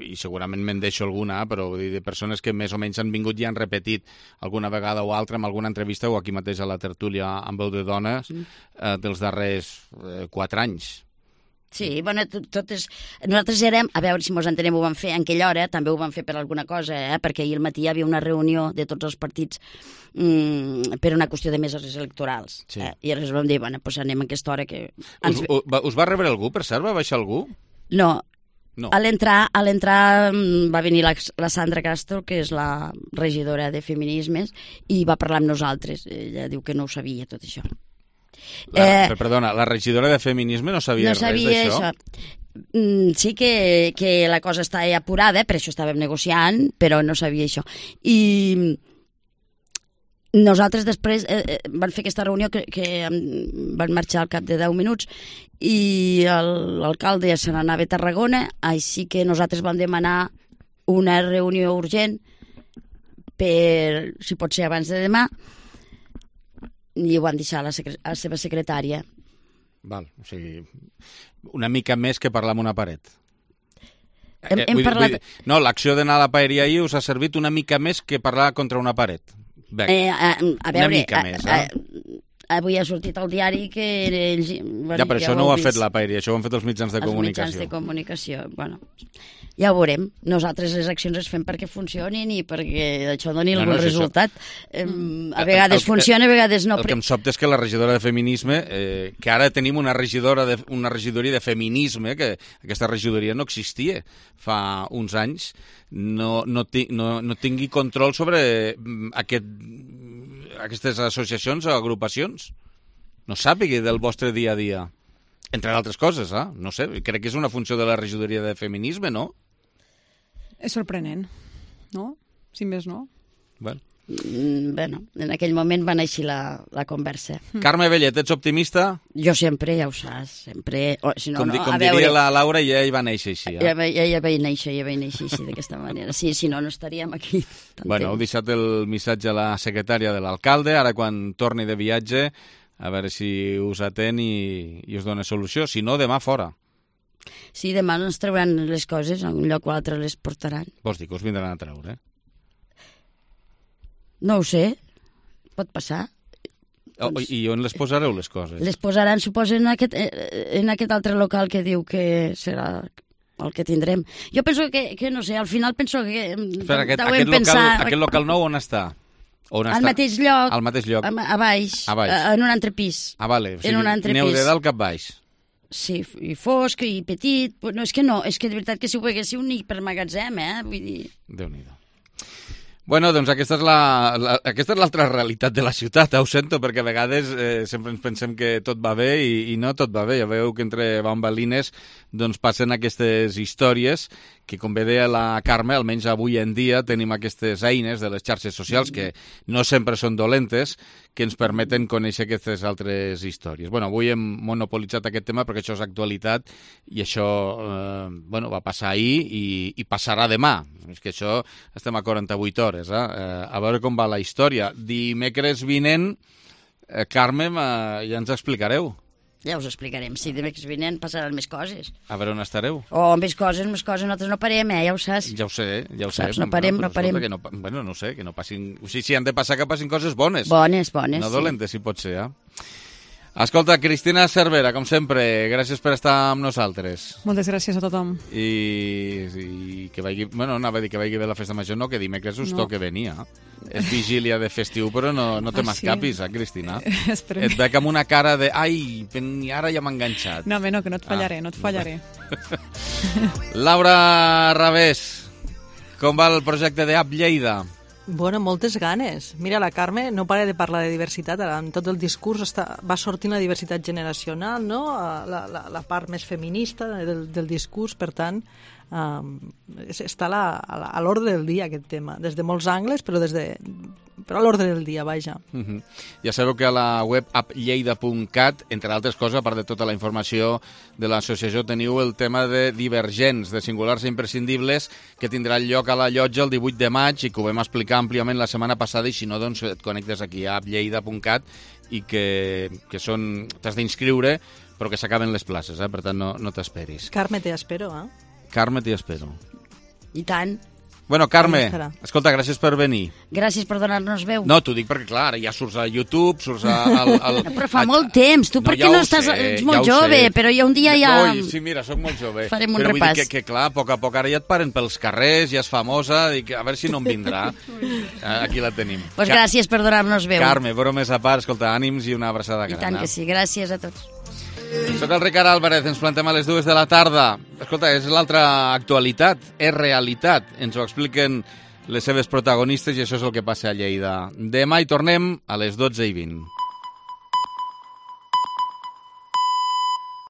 i segurament me'n deixo alguna, però vull dir, de persones que més o menys han vingut i han repetit alguna vegada o altra en alguna entrevista o aquí mateix a la tertúlia amb veu de dones mm. eh, dels darrers eh, quatre anys. Sí, bueno, totes... Nosaltres érem, a veure si mos entenem, ho vam fer en aquella hora, també ho vam fer per alguna cosa, eh? Perquè ahir al matí hi havia una reunió de tots els partits mm, per una qüestió de meses electorals. Sí. Eh? I llavors vam dir, bueno, doncs anem a aquesta hora que... Ens... Us, us, us va rebre algú, per cert? Va baixar algú? No. No. A l'entrar a l'entrar va venir la, la Sandra Castro, que és la regidora de Feminismes, i va parlar amb nosaltres. Ella diu que no ho sabia, tot això. La, eh, perdona, la regidora de Feminisme no sabia, no sabia res d'això? Mm, sí que, que la cosa està apurada, per això estàvem negociant, però no sabia això. I nosaltres després eh, van fer aquesta reunió que, que van marxar al cap de deu minuts i l'alcalde se n'anava a Tarragona, així que nosaltres vam demanar una reunió urgent per, si pot ser abans de demà, i ho van deixar a la, secre a la seva secretària. Val, o sigui, una mica més que parlar amb una paret. Hem, eh, hem vull, parlat... vull, no, l'acció d'anar a la paeria ahir us ha servit una mica més que parlar contra una paret. Bec, eh, a, a veure, una mica a, més, eh? A, avui ha sortit al diari que ells... Bueno, ja, però ja això no ho ha fet la paeria, això ho han fet els mitjans de els comunicació. Els mitjans de comunicació, bueno... Ja ho veurem. Nosaltres les accions les fem perquè funcionin i perquè això doni no, algun no resultat. Mm. A vegades el, funciona, a vegades no. El que em sobta és que la regidora de Feminisme, eh, que ara tenim una regidora de, una regidoria de Feminisme, que aquesta regidoria no existia fa uns anys, no, no, ti, no, no tingui control sobre aquest, aquestes associacions o agrupacions. No sàpigui del vostre dia a dia. Entre altres coses, eh? No sé, crec que és una funció de la regidoria de Feminisme, no? És sorprenent, no? Si més no. Bueno. Mm, bueno, en aquell moment va néixer la, la conversa. Carme Bellet, ets optimista? Jo sempre, ja ho saps, sempre... O, si no, com no, com diria veure, la Laura, ja hi va néixer així. Eh? Ja, ja, ja vaig néixer, ja vaig néixer així, d'aquesta manera. Sí, si no, no estaríem aquí. Bueno, heu deixat el missatge a la secretària de l'alcalde, ara quan torni de viatge, a veure si us atén i, i us dona solució. Si no, demà fora. Sí, demà ens trauran les coses, a un lloc o altre les portaran. Vols dir que us vindran a treure? No ho sé, pot passar. Oh, I on les posareu, les coses? Les posaran, suposo, en aquest, en aquest altre local que diu que serà el que tindrem. Jo penso que, que no sé, al final penso que... Espera, aquest, aquest, pensar... local, aquest local nou on està? On al està? mateix lloc, al mateix lloc. A, a, baix, a baix, en un altre pis. Ah, vale, o sigui, en un altre aneu pis. de dalt cap baix. Sí, i fosc, i petit... No, és que no, és que de veritat que si ho haguéssiu ni per magatzem, eh? Vull dir... Déu-n'hi-do. Bueno, doncs aquesta és la, la, aquesta és l'altra realitat de la ciutat, ho sento, perquè a vegades eh, sempre ens pensem que tot va bé i, i no tot va bé. Ja veieu que entre bambalines doncs, passen aquestes històries que, com bé deia la Carme, almenys avui en dia tenim aquestes eines de les xarxes socials que no sempre són dolentes, que ens permeten conèixer aquestes altres històries. Bueno, avui hem monopolitzat aquest tema perquè això és actualitat i això eh, bueno, va passar ahir i, i passarà demà. És que això estem a quaranta-vuit hores. Eh? Eh, a veure com va la història. Dimecres vinent, eh, Carme, eh, ja ens explicareu. Ja us explicarem. Si dimecres vinent passaran més coses. A veure on estareu. Oh, més coses, més coses. Nosaltres no parem, eh? Ja ho saps. Ja ho sé, ja ho sé. Saps? No parem, bueno, no parem. Que no, bueno, no sé, que no passin... O sigui, si han de passar, que passin coses bones. Bones, bones, no sí. dolentes, si pot ser, eh? Escolta, Cristina Cervera, com sempre, gràcies per estar amb nosaltres. Moltes gràcies a tothom. I, i que vagi... Bueno, anava a dir que vagi bé la festa major, no, que dimecres us no. toque venir, eh? És vigília de festiu, però no, no te ah, m'escapis, sí? eh, Cristina? Esperem. Et veig amb una cara de... Ai, ara ja m'ha enganxat. No, home, no, que no et fallaré, ah. no et fallaré. Laura Ravés, com va el projecte d'App Lleida? Bueno, moltes ganes. Mira, la Carme no para de parlar de diversitat. Ara, en tot el discurs està, va sortint la diversitat generacional, no? la, la, la part més feminista del, del discurs, per tant, um, està a, la, a l'ordre del dia aquest tema, des de molts angles, però des de però a l'ordre del dia, vaja. Uh-huh. Ja sabeu que a la web app lleida punt cat, entre altres coses, a part de tota la informació de l'associació, teniu el tema de divergents, de singulars i imprescindibles, que tindrà lloc a la llotja el divuit de maig i que ho vam explicar àmpliament la setmana passada, i si no, doncs et connectes aquí a app lleida punt cat i que, que són... t'has d'inscriure, però que s'acaben les places, eh? Per tant, no, no t'esperis. Carme, te espero, eh? Carme, t'hi espero. I tant. Bueno, Carme, escolta, gràcies per venir. Gràcies per donar-nos veu. No, t'ho dic perquè, clar, ara ja surts a YouTube, surts a... Al, al... No, però fa a, molt temps, tu no, per què ja no estàs... Sé, ets molt ja jove, però ja un dia ja... Oi, sí, mira, soc molt jove. Farem un però repàs. Vull dir que, que, clar, a poc a poc ara ja et paren pels carrers, ja és famosa, dic, a veure si no em vindrà. Aquí la tenim. Doncs pues gràcies per donar-nos veu. Carme, bromes a part, escolta, ànims i una abraçada gran. I tant que sí, gràcies a tots. Soc el Ricard Álvarez, ens plantem a les dues de la tarda. Escolta, és l'altra actualitat, és realitat. Ens ho expliquen les seves protagonistes i això és el que passa a Lleida. Demà hi tornem a les dotze i vint.